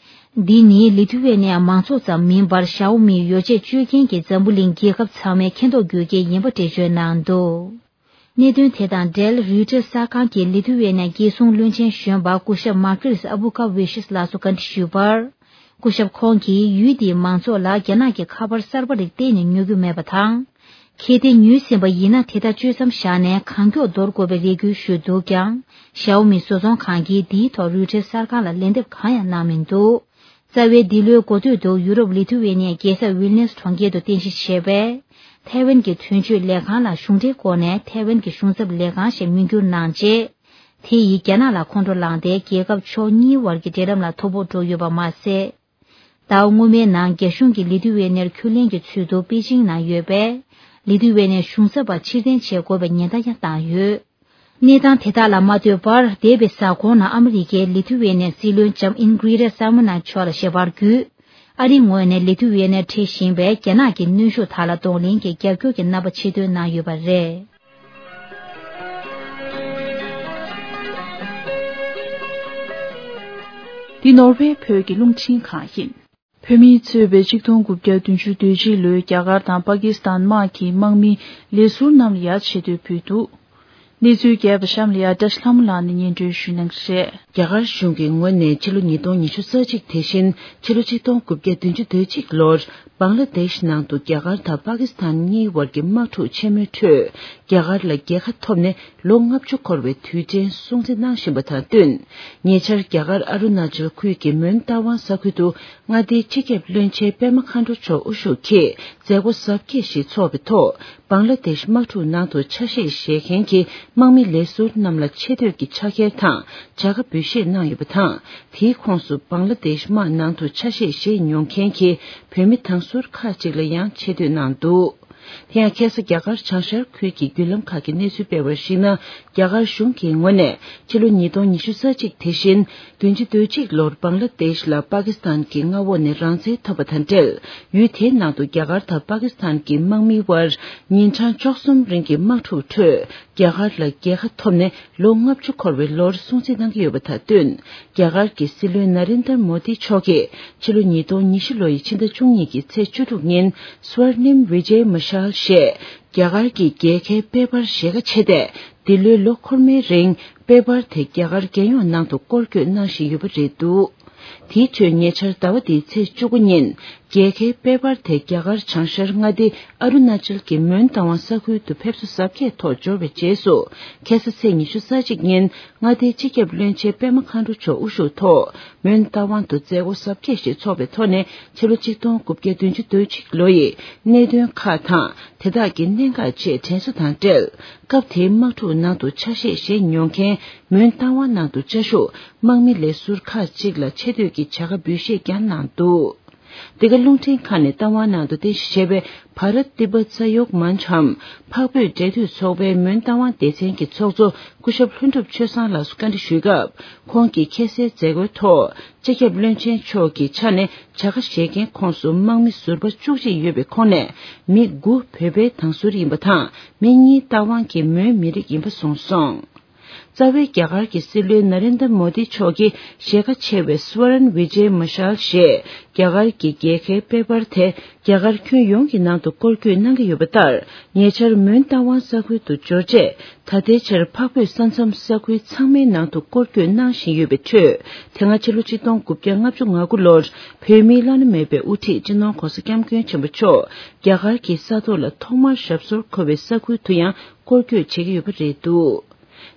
འདི་ནི་ལི་ཐུ་ཝེ་ནི་ཡ་མང་ཚོགས་ཙམ་མིན་པར་ཞའོ་མིའི་ཡོ་ཆས་སྤྱོད་མཁན་གྱི་འཛམ་བུ་གླིང་རྒྱལ་ཁབ་ཚང་མས་མཁྱེན་རྟོགས་དགོས་གལ་ཡིན་པ་འགྲེལ་བརྗོད་གནང་འདུག། གནད་དོན་དེ་དང་འབྲེལ་རུའི་ཊར་གསར་ཁང་གིས་ལི་ཐུ་ཝེ་ནི་ཡའི་རྒྱལ་སྲུང་བློན་ཆེན་གཞོན་པ་སྐུ་ཞབས་མར་ཀིར་སི་ཨ་བུ་ཀ་ཝི་ཤིས་ལགས་སུ་བཀའ་འདྲི་ཞུས་པར། སྐུ་ཞབས་ཁོང་གིས་ཡུལ་དེའི་མང་ཚོགས་ལ་རྒྱ་ནག་གི་ཁ་པར་གསར་པ་རིགས་གཏན་ནས་ཉོ་རྒྱུ་མེད་པ་དང་། གལ་ཏེ་ཉོས་ཟིན་པ་ཡིན་ན་དེ་དག་སྤྱོད་མཚམས་བཞག་ནས་གང་མགྱོགས་འདོར་དགོས་པའི་རེ་སྐུལ་ཞུས་འདུག་ཀྱང་། ཞའོ་མི་བཟོ་ཚོང་ཁང་གིས་འདིའི་ཐོག་རོའི་ཊར་གསར་ཁང་ལ་ལན་འདེབས་གང་ཡང་གནང་མི་འདུག་རྩ་བའི་འདི་ལོའི་འགོ་སྟོད་དུ་ཡུ་རོབ་ལི་ཐུ་ཝེ་ནི་ཡའི་རྒྱལ་ས་ཝིལ་ནེས་གྲོང་ཁྱེར་དུ་རྟེན་གཞི་བྱས་པའི་ཐའེ་ཝན་གྱི་དོན་གཅོད་ལས་ཁང་ལ་གཞུང་འབྲེལ་སྒོ་ནས་ཐའེ་ཝན་གྱི་གཞུང་ཚབ་ལས་ཁང་ཞེས་མིང་བསྒྱུར་གནང་རྗེས། དེ་ཡིས་རྒྱ་ནག་ལ་ཁོང་ཁྲོ་ལངས་ཏེ་རྒྱལ་ཁབ་ཕྱོགས་གཉིས་བར་གྱི་འབྲེལ་ལམ་ལ་དོ་ཕོག་འགྲོ་ཡོད་པ་མ་ཟད། ཟླ་བ་སྔོན་མའི་ནང་རྒྱ་གཞུང་གིས་ལི་ཐུ་ཝེ་ནེར་ཁས་ལེན་གྱི་ཚུལ་དུ་པེ་ཅིང་ནང་ཡོད་པའི་ལི་ཐུ་ཝེ་ནེའི་གཞུང་ཚབ་པ་ཕྱིར་འཐེན་བྱེད་དགོས་པའི་ཉེན་བརྡ་ཡང་བཏང་ཡོད། གནས་སྟངས་དེ་དག་ལ་མ་ལྟོས་པར་འདས་པའི་གཟའ་འཁོར་ནང་ཨ་མི་རི་ཀའི་ལི་ཐུ་ཝེ་ནེའི་སྲིད་བློན་ལྕམ་ཨིན་གྷི་རེ་ཏ་སཱ་མོ་ན་མཆོག་ལ་ཞལ་པར་བརྒྱུད། ཨ་རིའི་ངོས་ནས་ལི་ཐུ་ཝེ་ནེར་འཕྲད་བཞིན་པའི་རྒྱ་ནག་གི་གནོན་ཤུགས་དག་ལ་གདོང་ལེན་གྱི་རྒྱབ་སྐྱོར་གྱི་རྣམ་པ་ཆེ་བཏོན་གནང་ཡོད་པ་རེད། འདི་ནོར་ཝེ་བོད་ཀྱི་རླུང་འཕྲིན་ཁང་ཡིན། བོད་མིས་གཙོས་པའི་ཆིག་སྟོང་དགུ་བརྒྱ་བདུན་ཅུ་དོན་གཅིག་ལོའི་རྒྱ་གར་དང་པ་ཀི་སི་ཐན་དམག་གི་དམག་མི་ལས་ཟུར་རྣམས་ལ་ཡ་ཆེ་བསྟོད་ཕུལ་འདུག་གནས་ཚུལ་རྒྱས་པ་གཤམ་ལ་ཡ་བཀྲ་ཤིས་ལྷ་མོ་ལགས་ནས་སྙན་སྒྲོན་ཞུ་གནང་གི་རེད། རྒྱ་གར་གཞུང་གི་ངོས་ནས་ཕྱི་ལོ་ཉིས་སྟོང་ཉི་ཤུ་རྩ་གཅིག་དེ་བཞིན་ཕྱི་ལོ་ཆིག་སྟོང་དགུ་བརྒྱ་བདུན་ཅུ་དོན་གཅིག་ལོར་བང་ལ་དེཤ་ནང་དུ་རྒྱ་གར་དང་པ་ཀི་སི་ཐན་གཉིས་བར་གྱི་དམག་འཁྲུག་ཆེན་མོའི་ཁྲོད་རྒྱ་གར་ལ་རྒྱལ་ཁ་ཐོབ་ནས་ལོ་ལྔ་བཅུ་འཁོར་བའི་དུས་དྲན་སྲུང་བརྩི་གནང་བཞིན་པ་དང་བསྟུན། ཉེ་ཆར་རྒྱ་གར་ཨ་རུ་ན་ཅལ་ཁུལ་གྱི་མོན་རྟ་དབང་ས་ཁུལ་དུ་མངའ་སྡེའི་སྤྱི་ཁྱབ་བློན་ཆེན་པད་མ་མཁའ་འགྲོ་མཆོག་དབུ་བཞུགས་ཀྱིས་མཛད་སྒོ་གཟབ་རྒྱས་ཤིག་འཚོགས་པའི་ཐོག་བང་ལ་དེཤ་དམག་འཁྲུག་ནང་དུ་ཆ་ཤས་བཞེས་མཁན་གྱི་དམག་མི་ལས་ཟུར་རྣམས་ལ་ཆེ་བསྟོད་ཀྱི་ཕྱག་འཁྱེར་དང་བྱ་དགའ་འབུལ་བཞེས་གནང་ཡོད་པ་དང་། དེའི་ཁོངས་སུ་བང་ལ་དེཤ་དམག་ནང་དུ་ཆ་ཤས་བཞེས་མྱོང་མཁན་གྱི་བོད་མི་དང་ཟུར་ཁག་ཅིག་ལ་ཡང་ཆེ་བསྟོད་གནང་འདུག་དེ་ཡང་ཁ་སང་རྒྱ་གར་བྱང་ཤར་ཁུལ་གྱི་བརྒྱུད་ལམ་ཁག་གིས་གནས་ཚུལ་སྤེལ་བར་གཞིགས་ན། རྒྱ་གར་གཞུང་གི་ངོས་ནས་ཕྱི་ལོ་ཉིས་སྟོང་ཉི་ཤུ་རྩ་གཅིག་དེ་བཞིན་བདུན་ཅུ་དོན་གཅིག་ལོར་བང་ལ་དེཤ་ལ་པ་ཀི་སི་ཐན་གྱི་མངའ་འོག་ནས་རང་བཙན་ཐོབ་པ་དང་འབྲེལ། ཡུལ་དེའི་ནང་དུ་རྒྱ་གར་དང་པ་ཀི་སི་ཐན་གྱི་དམག་མིའི་དབར་ཉིན་གྲངས་བཅུ་གསུམ་རིང་གི་དམག་འཁྲུག་ཁྲོད་རྒྱ་གར་ལ་རྒྱལ་ཁ་ཐོབ་ནས་ལོ་ལྔ་བཅུ་འཁོར་བའི་ལོར་སྲུང་བརྩི་གནང་གི་ཡོད་པ་དང་བསྟུན། རྒྱ་གར་གྱི་སྲིད་བློན་ན་རེན་དར་མོ་དི་མཆོག་གིས་ཕྱི་ལོ་ཉིས་སྟོང་ཉི་ཤུ་ལོ་ཡི་ཕྱི་ཟླ་བཅུ་གཉིས་ཀྱི་ཚེས་བཅུ་དྲུག་ཉིན་སུ་ཝར་ནིམ་ཝི་ཇེ་མ་ཤལ་ཞེས་རྒྱ་གར་གྱི་རྒྱལ་ཁའི་པེ་པར་ཞེ་དགའ་ཆེ་སྟེ། འདི་ལོའི་ལོ་འཁོར་མའི་རིང་པེ་པར་དེ་རྒྱ་གར་རྒྱལ་ཡོངས་ནང་དུ་སྐོར་སྐྱོད་གནང་བཞིན་ཡོད་པ་རེད་འདུག་དེའི་ཁྲོད་ཉེ་ཆར་ཟླ་བ་འདིའི་ཚེས་བཅུ་དགུ་ཉིན་རྒྱལ་ཁའི་པེ་པར་དེ་རྒྱ་གར་བྱང་ཤར་མངའ་སྡེ་ཨ་རུ་ན་ཅལ་གྱི་མོན་རྟ་དབང་ས་ཁུལ་དུ་ཕེབས་བསུ་གཟབ་རྒྱས་ཐོག་འབྱོར་བའི་རྗེས་སུ། ཁ་སང་ཚེས་ཉི་ཤུ་རྩ་གཅིག་ཉིན་མངའ་སྡེའི་སྤྱི་ཁྱབ་བློན་ཆེན་པད་མ་མཁའ་འགྲོ་མཆོག་དབུ་བཞུགས་ཐོག་མོན་རྟ་དབང་དུ་མཛད་སྒོ་གཟབ་རྒྱས་ཤིག་འཚོགས་པའི་ཐོག་ནས་ཕྱི་ལོ་ཆིག་སྟོང་དགུ་བརྒྱ་བདུན་ཅུ་དོན་གཅིག་ལོ་ཡི་གནད་དོན་ཁག་དང་དེ་དག་གི་གནད་འགག་བཅས་དྲན་གསོ་དང་འབྲེལ། སྐབས་དེའི་དམག་འཁྲུག་ནང་དུ་ཆ་ཤས་བཞེས་མྱོང་མཁན་མོན་རྟ་དབང་ནང་དུ་བཅའ་བཞུགས་དམག་མི་ལས་ཟུར་ཁག་ཅིག་ལ་ཆེ་བསྟོད་ཀྱི་བྱ་དགའ་འབུལ་བཞེས་ཀྱང་གནང་འདུག་འདི་ག་རླུང་འཕྲིན་ཁང་ནས་རྟ་དབང་ནང་དུ་རྟེན་གཞི་བྱས་པའི་བྷ་རཏ་ཏི་བྷ་ས་ཡོག་མན་ཆའམ་འཕགས་བོད་འབྲེལ་མཐུད་ཚོགས་པའི་མོན་རྟ་དབང་སྡེ་ཚན་གྱི་ཚོགས་གཙོ་སྐུ་ཞབས་ལྷུན་གྲུབ་ཆོས་བཟང་ལགས་སུ་བཀའ་འདྲི་ཞུས་སྐབས། ཁོང་གིས་ཁ་སའི་མཛད་སྒོའི་ཐོག་སྤྱི་ཁྱབ་བློན་ཆེན་མཆོག་གི་ཆ་ནས་བྱ་དགའ་བཞེས་མཁན་ཁོངས་སུ་དམག་མི་ཟུར་པ་བཅུ་གཅིག་ཡོད་པའི་ཁོངས་ནས་མི་དགུ་བོད་པའི་དང་ཟུར་ཡིན་པ་དང་། མི་གཉིས་རྟ་དབང་གི་མོན་མི་རིགས་ཡིན་པ་གསུངས་སོང་། རྩ་བའི་རྒྱ་གར་གྱི་སྲིད་བློན་ན་རེན་དར་མོ་དི་མཆོག་གིས་ཞེ་དགའ་ཆེ་བའི་སུ་ཝ་རན་ཝི་ཇེ་མ་ཤལ་ཞེས་རྒྱ་གར་གྱི་རྒྱལ་ཁའི་པེ་པར་དེ་རྒྱ་གར་ཁྱོན་ཡོངས་ཀྱི་ནང་དུ་སྐོར་སྐྱོད་གནང་གི་ཡོད་པ་ལྟར། ཉེ་ཆར་མོན་རྟ་དབང་ས་ཁུལ་དུ་འབྱོར་རྗེས། ད་ལྟའི་ཆར་འཕགས་བོད་ས་མཚམས་ས་ཁུལ་ཚང་མའི་ནང་དུ་སྐོར་སྐྱོད་གནང་བཞིན་ཡོད་པའི་ཁྲོད། དེ་སྔ་ཕྱི་ལོ་ཆིག་སྟོང་དགུ་བརྒྱ་ལྔ་བཅུ་ང་དགུ་ལོར་བོད་མིའི་བླ་ན་མེད་པའི་དབུ་ཁྲིད་སྤྱི་ནོར་༧གོང་ས་༧སྐྱབས་མགོན་ཆེན་པོ་མཆོག་རྒྱ་གར་གྱི་ས་ཐོག་ལ་ཐོག་མར་ཞབས་སོར་འཁོད་པའི་ས་ཁུལ་དུ་ཡང་སྐོར་སྐྱོད་བྱེད་ཀྱི་ཡོད་པ་རེད་འདུག་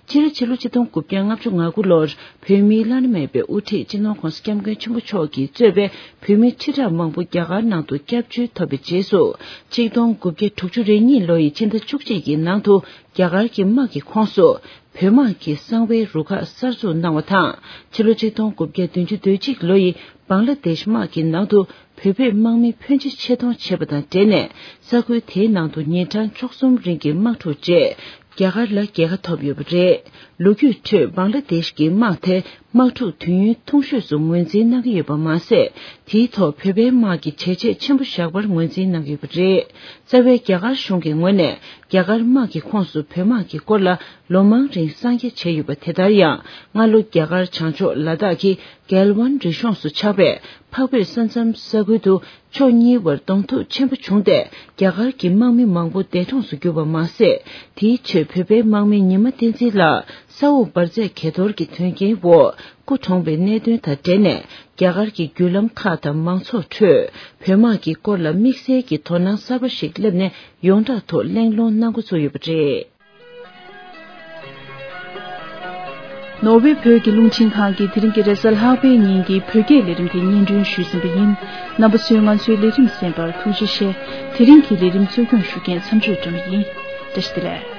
སྤྱིར་ཕྱི་ལོ་ཆིག་སྟོང་དགུ་བརྒྱ་ལྔ་བཅུ་ང་དགུ་ལོར་བོད་མིའི་བླ་ན་མེད་པའི་དབུ་ཁྲིད་སྤྱི་ནོར་༧གོང་ས་༧སྐྱབས་མགོན་ཆེན་པོ་མཆོག་གིས་གཙོས་པའི་བོད་མི་ཁྲི་ཕྲག་མང་པོ་རྒྱ་གར་ནང་དུ་སྐྱབས་བཅོལ་ཐོབ་པའི་རྗེས་སུ། ཆིག་སྟོང་དགུ་བརྒྱ་དྲུག་ཅུ་རེ་གཉིས་ལོ་ཡི་ཕྱི་ཟླ་བཅུ་གཅིག་གི་ནང་དུ་རྒྱ་གར་གྱི་དམག་གི་ཁོངས་སུ་བོད་དམག་གི་གསང་བའི་རུ་ཁག་གསར་འཛུགས་གནང་བ་དང་། ཕྱི་ལོ་ཆིག་སྟོང་དགུ་བརྒྱ་བདུན་ཅུ་དོན་གཅིག་ལོ་ཡི་བང་ལ་དེཤ་དམག་གི་ནང་དུ་བོད་པའི་དམག་མི་ཕོན་ཆེ་ཆེད་གཏོང་བྱས་པ་དང་འབྲེལ་ནས། ས་ཁུལ་དེའི་ནང་དུ་ཉིན་གྲངས་བཅུ་གསུམ་རིང་གི་དམག་འཁྲུག་རྗེས། རྒྱ་གར་ལ་རྒྱལ་ཁ་ཐོབ་ཡོད་པ་རེད། ལོ་རྒྱུས་ཁྲོད་བང་ལ་དེཤ་གི་དམག་དེ་དམག་འཁྲུག་དུས་ཡུན་ཐུང་ཤོས་སུ་ངོས་འཛིན་གནང་གི་ཡོད་པ་མ་ཟད། དེའི་ཐོག་བོད་པའི་དམག་གིས་བྱས་རྗེས་ཆེན་པོ་བཞག་པར་ངོས་འཛིན་གནང་གི་ཡོད་པ་རེད། རྩ་བའི་རྒྱ་གར་གཞུང་གི་ངོས་ནས་རྒྱ་གར་དམག་གི་ཁོངས་སུ་བོད་དམག་གི་སྐོར་ལ་ལོ་མང་རིང་གསང་རྒྱ་བྱས་ཡོད་པ་དེ་ལྟར་ཡང་། སྔ་ལོ་རྒྱ་གར་བྱང་ཕྱོགས་ལ་དྭགས་ཀྱི་གལ་ཝན་རི་གཤོངས་སུ་ཆགས་པའི་འཕགས་བོད་ས་མཚམས་ས་ཁུལ་དུ། ཕྱོགས་གཉིས་བར་གདོང་ཐུག་ཆེན་པོ་བྱུང་སྟེ། རྒྱ་གར་གྱི་དམག་མི་མང་པོ་འདས་གྲོངས་སུ་གྱུར་པ་མ་ཟད། དེའི་ཁྲོད་བོད་པའི་དམག་མི་ཉི་མ་བསྟན་འཛིན་ལགས། ས་འོག་འབར་རྫས་གས་གཏོར་གྱི་དོན་རྐྱེན་འོག་སྐུ་གྲོངས་པའི་གནད་དོན་དང་འབྲེལ་ནས། རྒྱ་གར་གྱི་བརྒྱུད་ལམ་ཁག་དང་མང་ཚོགས་ཁྲོད་བོད་དམག་གི་སྐོར་ལ་དམིགས་བསལ་གྱི་དོ་སྣང་གསར་པ་ཞིག་བསླེབས་ནས། ཡོངས་གྲགས་ཐོག་གླེང་སློང་གནང་འགོ་བཙུགས་ཡོད་པ་རེད། ནོར་ཝེ་བོད་ཀྱི་རླུང་འཕྲིན་ཁང་གིས་དེ་རིང་གི་རེས་གཟའ་ལྷག་པའི་ཉིན་གྱི་བོད་སྐད་ལས་རིམ་དེ་སྙན་སྒྲོན་ཞུས་ཟིན་པ་ཡིན། རྣམ་པ་ཚོས་ང་ཚོའི་ལས་རིམ་གསན་པར་ཐུགས་རྗེ་ཆེ། དེ་རིང་གི་ལས་རིམ་གཙོ་སྐྱོང་ཞུ་མཁན་མཚམས་གཅོད་སྒྲོལ་མ་ཡིན། བཀྲ་ཤིས་བདེ་ལེགས།